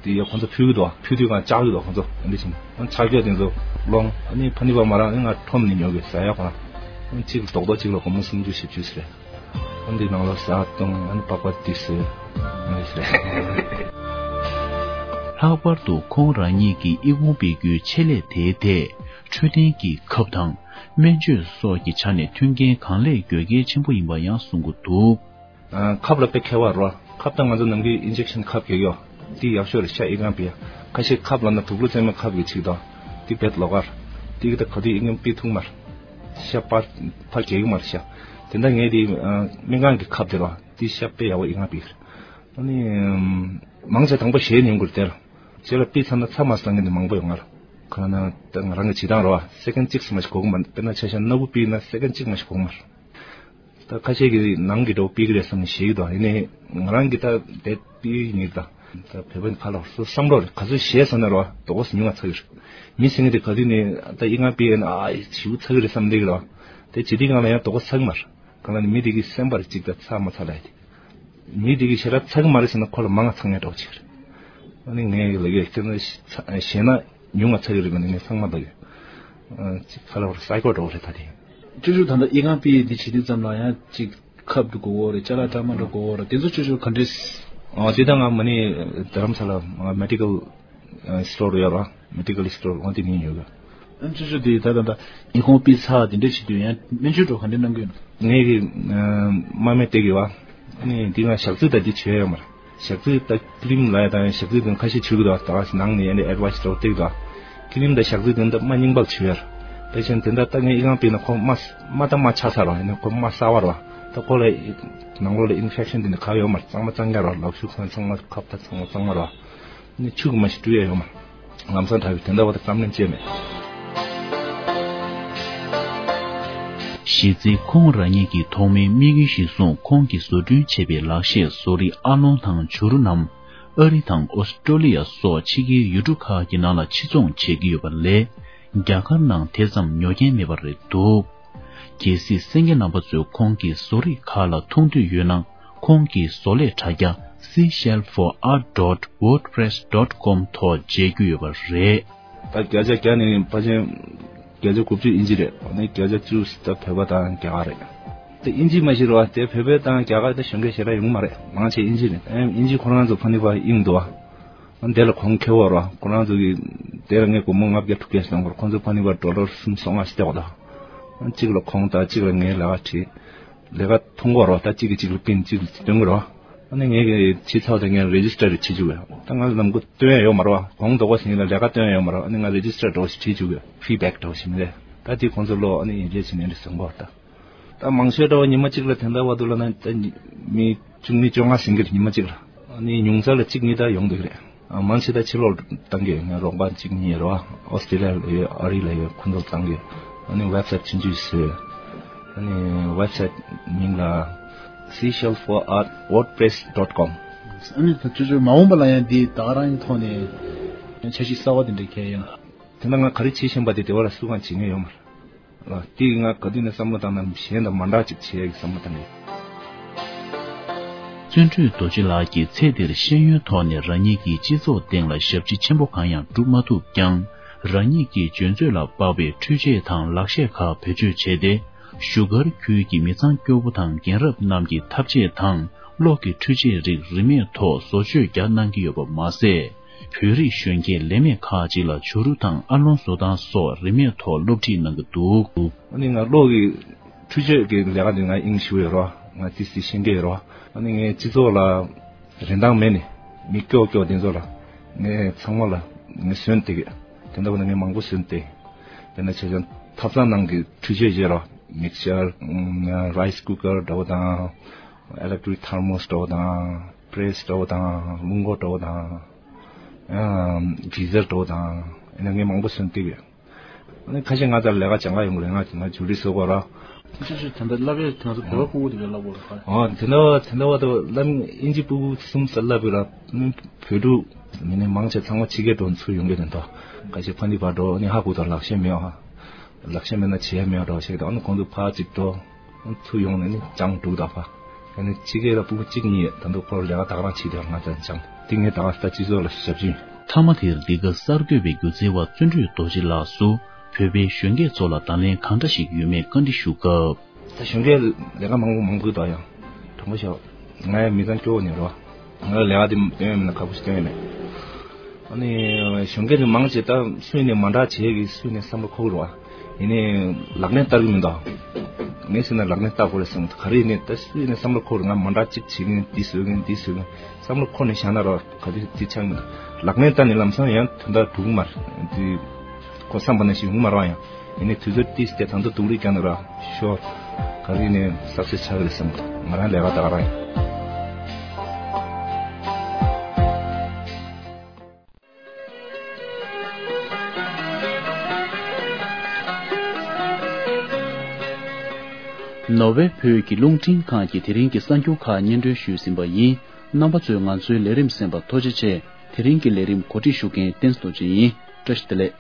དེ་ཡ་ཁོ་ཚོ་ཕུལ་གི་འདུག་ཕུལ་དུས་ང་བཅག་གི་འདུག་ཁོ་ཚོ་ཨ་འདྲ་བྱས་ནས་ཆ་རྒྱུ་དེ་ཚོ་སློང་། ཨ་ནི་ཕ་ནི་པ་མ་རག་ཨ་ནི་ང་ཁྲོམ་ནས་ཉོ་གི་ཟ་ཡ་ཁོ་རང་། ཨ་ནི་གཅིག་ལ་རྡོག་རྡོག་གཅིག་ལ་སྒོར་མོ་སུམ་ཅུ་བཞི་བཅུ་ཟེར། ཨ་འདི་ནང་ལ་ཟ་བཏུང་ཨ་ནི་པགས་པ་དེ་ཟོས། ཨ་ནི་ཟེར། ལྷག་པར་དུ་ཁོང་རང་ཉིད་ཀྱིས་ཨི་ཁུང་སྤེལ་རྒྱུའི་ཆེད་ལས་དེའི་ཐད་འཕྲོད་བསྟེན་གྱི་ཁབ་དང་སྨན་བཅོས་སོགས་ཀྱི་ཆ་ནས་མཐུན་རྐྱེན་གང་ལེགས་དགོས་གལ་ཆེན་པོ་ཡིན་པ་ཡང་གསུང་གི་འདུག་ཨ། ཁབ་ལ་དཔེ་མཁས་པ་རོ། ཁབ་དང་ང་ཚོ་ནམ་རྒྱུན་ཨིན་ཇེག་ཤན་ཁབ་རྒྱག་ཡོད། འདི་ཡག་ཤོས་རེད་ཤག་ཨི་ཁང་པའི། ཁ་ཤས་ཁབ་ལབ་ན་དུག་ལོག་རྩེད་མོའི་ཁབ་ཀྱི་ཅིག་དང་། འདི་བེད་ལོག་གར། འདི་གི་ད་ག་དུས་ཨི་ཁང་པའི་ཐུག་མར། ཤ་པར་ཕར་རྒྱག་གི་མར་ཤ། དེ་འདྲ་ངས་འདི་ཨ། སྨན་ཁང་གི་ཁབ་དེ་རོ། འདི་ཤ་དཔེ་ཡག་པོ་ཨི་ཁང་པའི། ཨ་ནི། མང་ཆེ་དང་པོ་གཞས་ཉན་དགོས་རེད་དེ་ལ། རྗེས་ལ་ཕུད་ཚར་ན་ཚར་མ་སོང་མཁན་དེ་མང་པོ་ཡོད་ང་ལ། ཁ་ན་ད་ང་རང་གི་བྱེད་སྟངས་རེད་བ། སེ་ཀེན་གཅིག་ཙམ་མ་ཞིག་འགོར་གི་མ་རེད། དཔེར་ན་ཆ་བཞག་སྣ་ཁུག་ཕུད་ན་སེ་ཀེན་གཅིག་མ་ཞིག་འགོར་གི་མ་རེད། ད་ཁ་ཤས་ཀྱིས་ནང་གི་འགྲོ་ཕུད་ཀྱི་རེད་བསམ་ནས་བཞེས་ཀྱི་འདུག་ཡིན་ནའི་ང་རང་གིས་ད་དེ་ཕུད་ཡིན་ད། ད་བོད་པ་ནི་ཁ་ལ་སོ་བསམ་བློ་རེད། ག་ཚོད་བཞེས་སོང་ན་རེད་བ། དོ་གོ་ཉུང་བ་ཚ་གི་རེད། མི་ཟེར་མཁན་དེ་ག་དུས་ནས་ད་ཨི་ང་ཕུད་ཡིན་ཨ་ཞིའུ་ཚ་གི་རེད་བསམ་བསྡད་ཀྱི་རེད་བ། དེ་བྱེད་དུས་སྒང་ལ་ཡང་དོ་གོ་ཚ་གི་མ་རེད། གང་ལ་ནི་མི་དེ་གི་སེམས་པར་གཅིག་ད་ཚ་མ་ཚ་ལ་ཡ་དེ། མི་དེ་གི་ཞེ་དྲག་ཚ་གི་མ་རེད་ཟེར་ན་ཁོ་ལ་མང་ང་ཚ་ངེས་འགྲོ་ཅིག་རེད། ཨ་ནི་ངས་ལ་གི་ཁྱེད་ཚོ་ཞེ་ན་ཉུང་ང་ཚ་གི་རེད་པ་ནི་ངས་ཚང་མ་ལ་གི་ཅིག་ཁ་ལ་བར་སའི་ཀོ་འགྲོ་རེད་ད་དེ། ཅོ་ཅོ་ད་ལྟ་ཨི་ཁང་པི་འདི་བྱེད་དུས་ཙམ་ལ་ཡང་ཅིག་ཁབ་ཏུ་གོ་བོ་རེད། ཅ་ལག་འདྲ་མ་འདྲ་གོ་བོ་རེད། དེ་ཚོ་ཅོ་ཅོ་ག་འདྲས། ཨ་དེ་ད་ང་མ་ནི་རྡ་རམ་ས་ལ་མེ་ཌི་ཀལ་སི་ཊོར་ཡོད་ར། མེ་ཌི་ཀལ་སི་ཊོར་འོ་དེ་ནས་ཉོས་གི། ཨ་ཅོ་ཅོ་དེ་ད་ད་ད་ཨི་ཁང་པི་ཚ་དེ་འདྲས་བྱེད་དུས་ཡང་སྨན་བཅོས་འགྲོ་ག་འདྲས་གནང་གི་ཡོད་ནོ། ངས་ཀྱི་མ་མེད་དེ་གི་བ། ཨ་ནི་འདི་ང་ཞག་ཚི་ད་འདི་བྱོས་ཡོད་མ་རེད། ཞག་ཚི་ད་ཀི་རིམ་ལ་ཡ་ད་ཡང་ཞག་ཚི་དེ་ཁ་ཤས་བྱོས་གི་འདུག་ད་ནང་ནས་ཡ་ནི་ཨེ་ཌི་ཝའི་སི་འགྲོ་བསྡད་གི་འདུག་ཀི་རིམ་ད་ཞག་ཚི་དེ་ད་མ་རྙིང་པ་ལ་བྱོས་ཡ་ར། དེ་བཞིན་དེ་འདྲ་ད་ངས་ཨི་ཁང་པི་ན་ཁོ་མ་མ་ད་མ་ཆགས་ས་ར། ཡ་ནི་ཁོ་མ་གསར་བ་ར། ད་ཁོ་ལ་ནང་ལོགས་ལ་ཨིན་ཕེག་ཤན་དེ་འདྲ་ག་ཡོད་མ་རེད། གཙང་མ་གཙང་རྐྱང་ར། ལག་ཤུབས་ཁང་ཚང་མ་ཁབ་ད་ཚང་མ་གཙང་མ་ར། ནི་ཆུ་གི་མ་ཞིག་བཀྲུ་ཡ་ཡོད་མ། ལམ་སང་དྲག་པའི་དེ་འདྲ་བ་དང་བསམ་ལན་བཅད་མེད། གཞི་རྩའི་ཁོང་རང་ཉིད་ཀྱི་ཐོག་མའི་དམིགས་ཡུལ་གཞིར་བཟུང་ཁོང་གིས་བཟོ་སྐྲུན་བྱས་པའི་ལག་ཤེས་བཟོ་རིགས་ཨ་ལོང་དང་བྱུ་རུ་རྣམས་ཨ་རི་དང་ཨོ་སི་ཀྲོ་ལི་ཡ་སོགས་ཕྱི་རྒྱལ་ཡུལ་གྲུ་ཁག་གི་ནང་ལ་ཕྱིར་ཚོང་བྱེད་ཀྱི་ཡོད་པ་ལས། རྒྱ་གར་ནང་དེ་ཙམ་ཉོ་མཁན་མེད་པ་རེད་འདུག་གལ་སྲིད་གསན་མཁན་རྣམ་པ་ཚོས་ཁོང་གི་བཟོ་རིགས་ཁག་ལ་མཐོང་འདོད་ཡོད་ན། ཁོང་གི་བཟོ་ལས་དྲ་རྒྱ་seashell for art dot wordpress dot com ཐོག་མཇལ་རྒྱུ་ཡོད་པ་རེད། ད་བརྒྱ་ཆ་བརྒྱ་ནས་ཕལ་ཆེར་བརྒྱ་ཆ་དགུ་བཅུ་དབྱིན་ཇི་རེད། ཨ་ནི་བརྒྱ་ཆ་བཅུ་ད་བོད་པ་དང་རྒྱ་གར་རེད། དེ་དབྱིན་ཇི་མ་ཤེས་རོགས་དེ་བོད་པ་དང་རྒྱ་གར་དེ་གཞོན་སྐྱེས་ཞེ་དྲག་ཡོང་མ་རེད། མང་ཆེ་དབྱིན་ཇི་རེད། ཨེམ་དབྱིན་ཇི་ཁོ་རང་ཚོ་ཕ་ནི་པ་ཨིན་འདུག་ཨ། དེ་ལ་གོང་ཁེ་བོ་ར། ཁོ་རང་ཚོ་གི་དེ་ལ་ངས་སྒོར་མོ་ལྔ་བརྒྱ་དྲུག་བརྒྱ་ཞིག་གཏོང་དགོས། ཁོང་ཚོ་ཕ་ནི་པ་ཌོ་ལར་སུམ་སོ་ལྔ་ཞིག་སྟེར་བ་དང་། གཅིག་ལ་གོང་དང་གཅིག་ལ་ངའི་ལས་ཀ་བྲིས། ལས་ཀ་མཐོང་གོ་ར། ད་གཅིག་གིས་གཅིག་ལ་པིན་གཅིག་ལ་སྟོན་གོ་ར། ཨ་ནི་ངས་གི་བྱས་ཚར་བ་དང་ངས་རེ་ཇི་སི་ཊར་བྱེད་བཅུག་གི། ད་ང་ལ་ལམ་གོ་སྟོན་ཡ་ཡོད་མ་རེད་བ། གོང་དོ་གོ་ཟིན་ལ་ལས་ཀ་སྟོན་ཡ་ཡོད་མ་རེད་བ། ཨ་ནི་ང་རེ་ཇི་སི་ཊར་འདྲ་བོ་ཞིག་བྲིས་བཅུག་གི། ཕིཌ་བེག་འདྲ་བོ་ཞིག་མི་རེད། ད་དེ་ཁོང་ཚོ་ལོ་ཨ་ནི་ཡིན་རེད་ཟེར་ནས་འདྲ་གསུང་གོ་ད། ད་མང་ཤོས་འདྲ་བོ་ཉི་མ་གཅིག་ལ་དེ་འདྲ་བ་འདུག་ལ་ན་ད་མི་བཅུ་གཉིས་བཅོ་ལྔ་ཟིན་གི་རེད་ཉི་མ་གཅིག་ལ། ཨ་ནི་ཉུང་ཙམ་ལ་གཅིག་གཉིས་ད་ཡོང་འདུག་གི་རེད། ཨ་མང་ཆེ་ད་ཕྱི་ལོགས་བཏང་གི། ང་རོགས་པ་གཅིག་གཉིས་ཡོད་རེད་བ། ཨོ་སི་ཀྲི་ལི་ཡ་ལ་ཡོད། ཨ་རི་ལ་ཡོད། ཁོང་ཚོ་བཏང་གི། ཨ་ནི་ཝེབ་སའིཊ་ཆུང་ཆུང་བཟོས། ཨ་ནི་ཝེབ་སའིཊ་མིང་ལ་seashell for art wordpress dot com། ཨ་ནི་ད་ཅོ་ཅོ་མ་འོངས་པ་ལ་ཡང་འདི་ད་ག་རང་གི་ཐོག་ནས་འཆར་གཞི་གསར་བ་དེ་འདྲ་གལ་ཡོད་ན། དེ་ན་ང་ག་རེ་བྱེད་བཞིན་པ་དེ་དེ་བ་ལ་སུ་གང་བྱེད་མཁན་ཡོད་མ་རེད། ལ་དེ་ང་ག་དུས་ནས་བསམ་བློ་བཏང་ན་གཞན་དང་མ་འདྲ་ཅིག་བྱེད་ཡག་གི་བསམ་བློ་བཏང་གི། བརྩོན་འགྲུས་རྡོ་རྗེ་ལགས་ཀྱིས་ཚེ་འདིར་ཤེས་ཡོན་ཐོག་ནས་རང་ཉིད་ཀྱི་སྤྱི་ཚོགས་སྟེང་ལ་ཞབས་ཕྱི་ཆེན་པོ་གང་ཡང་བསྒྲུབ་མ་ཐུབ་ཀྱང་། རང་ཉིད་ཀྱི་འཇོན་ཚོད་ལ་དཔག་པའི་འཕྲུལ་ཆས་དང་ལག་ཤེས་ཁག་བེད་སྤྱོད་བྱས་ཏེ། བཞུགས་སྒར་ཁུལ་གྱི་མི་ཚང་སྐྱོ་པོ་དང་རྒན་རབས་རྣམས་ཀྱི་ཐབ་ཆས་དང་གློག་གི་འཕྲུལ་ཆས་རིགས་རིན་མེད་ཐོག་བཟོ་བཅོས་རྒྱག་གནང་གི་ཡོད་པ་མ་ཟད། བོད་རིགས་གཞོན་སྐྱེས་ལས་མེད་ཁག་ཅིག་ལ་བྱུ་རུ་དང་ཨ་ལོང་བཟོ་སྟངས་སོགས་རིན་མེད་ཐོག་སློབ་ཁྲིད་གནང་གི་འདུག་ཨ་ནི་ང་གློག་གི་འཕྲུལ་ཆས་ཀྱི་ལས་ཀ་འདི་ང་ཨིན་ཞུ་ཡོད་རོ། ང་ཏི་སི་ཤེས་ཀྱི་ཡོད་རོ། ཨ་ནི་ངའི་སྤྱི་ཚོགས་ལ་རིན་ཐང་མེད་ནི་མི་སྐྱོ་སྐྱོ་དེ་ཚོ་ལ་ངས་ཚང་མ་ལ་ངས་སོན་ཏེ་གི། དེ་འདྲ་བ་ནི་ངས་མང་པོ་སོན་ཏེ། དེ་ནས་བྱས་ཙང་ཐབ་ཚང་ནང་གི་འཕྲུལ་ཆས་བཞེས་རོ། མིག་ཤར། རའི་སི་ཀུ་ཀར་འདྲ་བོ་དང་། ཨེ་ལེག་ཊི་རིག་ཐར་མོ་སི་འདྲ་བོ་དང་། པི་རེ་སི་འདྲ་བོ་དང་། རླུང་འཁོར་འདྲ་བོ་དང་། ཨ་གི་ཟར་འདྲ་བོ་དང་། ཨ་ནི་ངས་མང་པོ་སོན་ཏེ་གི། ཨ་ནི་ཁ་ཤས་ང་ཚོ་ལས་ཀ་སྦྱང་ག་ཡོང་གི་རེད། ང་ང་ཇུ་རི་བཟོ་དགོས་ར། ཁ་ཤས་ཤིག་ད་ལྟ་བསླབ་ཡས་དེ་ང་ཚོ་བོད་པ་ཕྲུ་གུ་དེ་གས་བསླབ་དགོས་རེད་ཁ། ཨོ་དེ་འདྲ་བ་དེ་འདྲ་བ་དང་བསླབ་ཨིན་ཇི་ཕྲུ་གུ་གསུམ་ཙམ་བསླབ་པ་ར། བོད་ཕྲུག་མི་ནི་མང་ཆེ་ཚང་མ་ཕྱི་རྒྱལ་འགྲོ་ཚུར་ཡོང་གི་རེད་འདུག་ཁ་ཤས་ཕ་ནི་པ་འགྲོ་ཨ་ནི་ཧ་གོ་དང་ལག་ཤེས་མེད་ཨ། ལག་ཤེས་མེད་ན་བྱེད་ཡ་མེད་འགྲོ་ཞིག་དང་ཨ་ནི་གོང་དུ་ཕར་གཅིག་འགྲོ། ཚུར་ཡོང་ནས་ནི་སྦྱང་འདུག་ད་ཕ། ཨ་ནི་ཕྱི་རྒྱལ་ལ་ཕྲུ་གུ་གཅིག་གཉིས་ད་དུང་ཁོར་ལས་ཀ་ད་ག་རང་བྱེད་དེ་ང་ཚོ་སྦྱང་། དེ་ངས་ད་ག་ས་སྤྱི་ཚོགས་ལ་ཞབས་ཕྱི། མཐའ་མ་དེར་འདི་ག་གསར་འགོད་པའི་སྒྱུ་རྩལ་བ་བརྩོན་འགྲུས་རྡོ་རྗེ་ལགས་སུ་བོད་པའི་གཞོན་སྐྱེས་ཚོ་ལ་དང་ལེན་གང་འདྲ་ཞིག་ཡོད་མེད་བཀའ་འདྲི་ཞུ་སྐབས། ད་གཞོན་སྐྱེས་ལས་ཀ་མང་པོ་མང་པོ་ད་ཡང་དྲང་པོ་ཤོད། ང་ཡང་མི་ཚང་སྐྱོ་བོ་ནས་རོ། ང་ལས་ཀ་དེ་སྟོན་ཡོད་མེད་ན་ཁག་པོ་ཞིག་སྟོན་ཡོད་མེད། ཨ་ནི་གཞོན་སྐྱེས་ནི་མང་ཆེ་ད་སུས་ནས་མ་འདྲ་བྱེད་ཀྱི་སུས་ནས་བསམ་བློ་འཁོར་གི་རེད་བ། ཡིན་ནའི་ལག་ལེན་བསྟར་གི་མི་འདུག་ངས་ཟེར་ན་ལག་ལེན་བསྟར་དགོས་རེད་བསམ་གི་འདུག་ག་རེ་ཡིན་ནའི་ད་སུས་ནས་བསམ་བློ་འཁོར་ང་མ་འདྲ་གཅིག་བྱེད་ཀྱི་ཡིན། འདི་བཟོ་གི་ཡིན། འདི་བཟོ་གི་ཡིན། བསམ་བློ་འཁོར་ནས་བཞག་ན་ར་ག་དུས་འདི་ཆགས་མི་འདུག་ལག་ལེན་བསྟར་ནས་ལམ་སང་ཡང་དོན་དག་འགྲུབ་གི་མ་རེད། འདི་ཁོ་བསམ་པ་ནང་བཞིན་ཡོང་གི་མ་རེད་བ། ཡང་ཡིན་ནའི་དུས་ཚོད་ཏིས་དེ་ད་དུང་སྡུག་རུས་བསྐྱལ་ན་ར་ཤོར། ག་རེ་ཡིན་ནའི་སག་སེ་སི་ཆགས་གི་རེད་བསམ་གི་འདུག་ང་རང་ལས་ཀ་ད་ག་རང་ཡིན། ནོར་ཝེ་བོད་ཀྱི་རླུང་འཕྲིན་ཁང་གིས་དེ་རིང་གི་གསར་འགྱུར་ཁག་སྙན་སྒྲོན་ཞུས་ཟིན་པ་ཡིན། རྣམ་པ་ཚོས་ང་ཚོའི་ལས་རིམ་གསན་པར་ཐུགས་རྗེ་ཆེ། དེ་རིང་གི་ལས་རིམ་གོ་སྒྲིག་ཞུ་མཁན་བསྟན་རྡོ་རྗེ་ཡིན། བཀྲ་ཤིས་བདེ་ལེགས།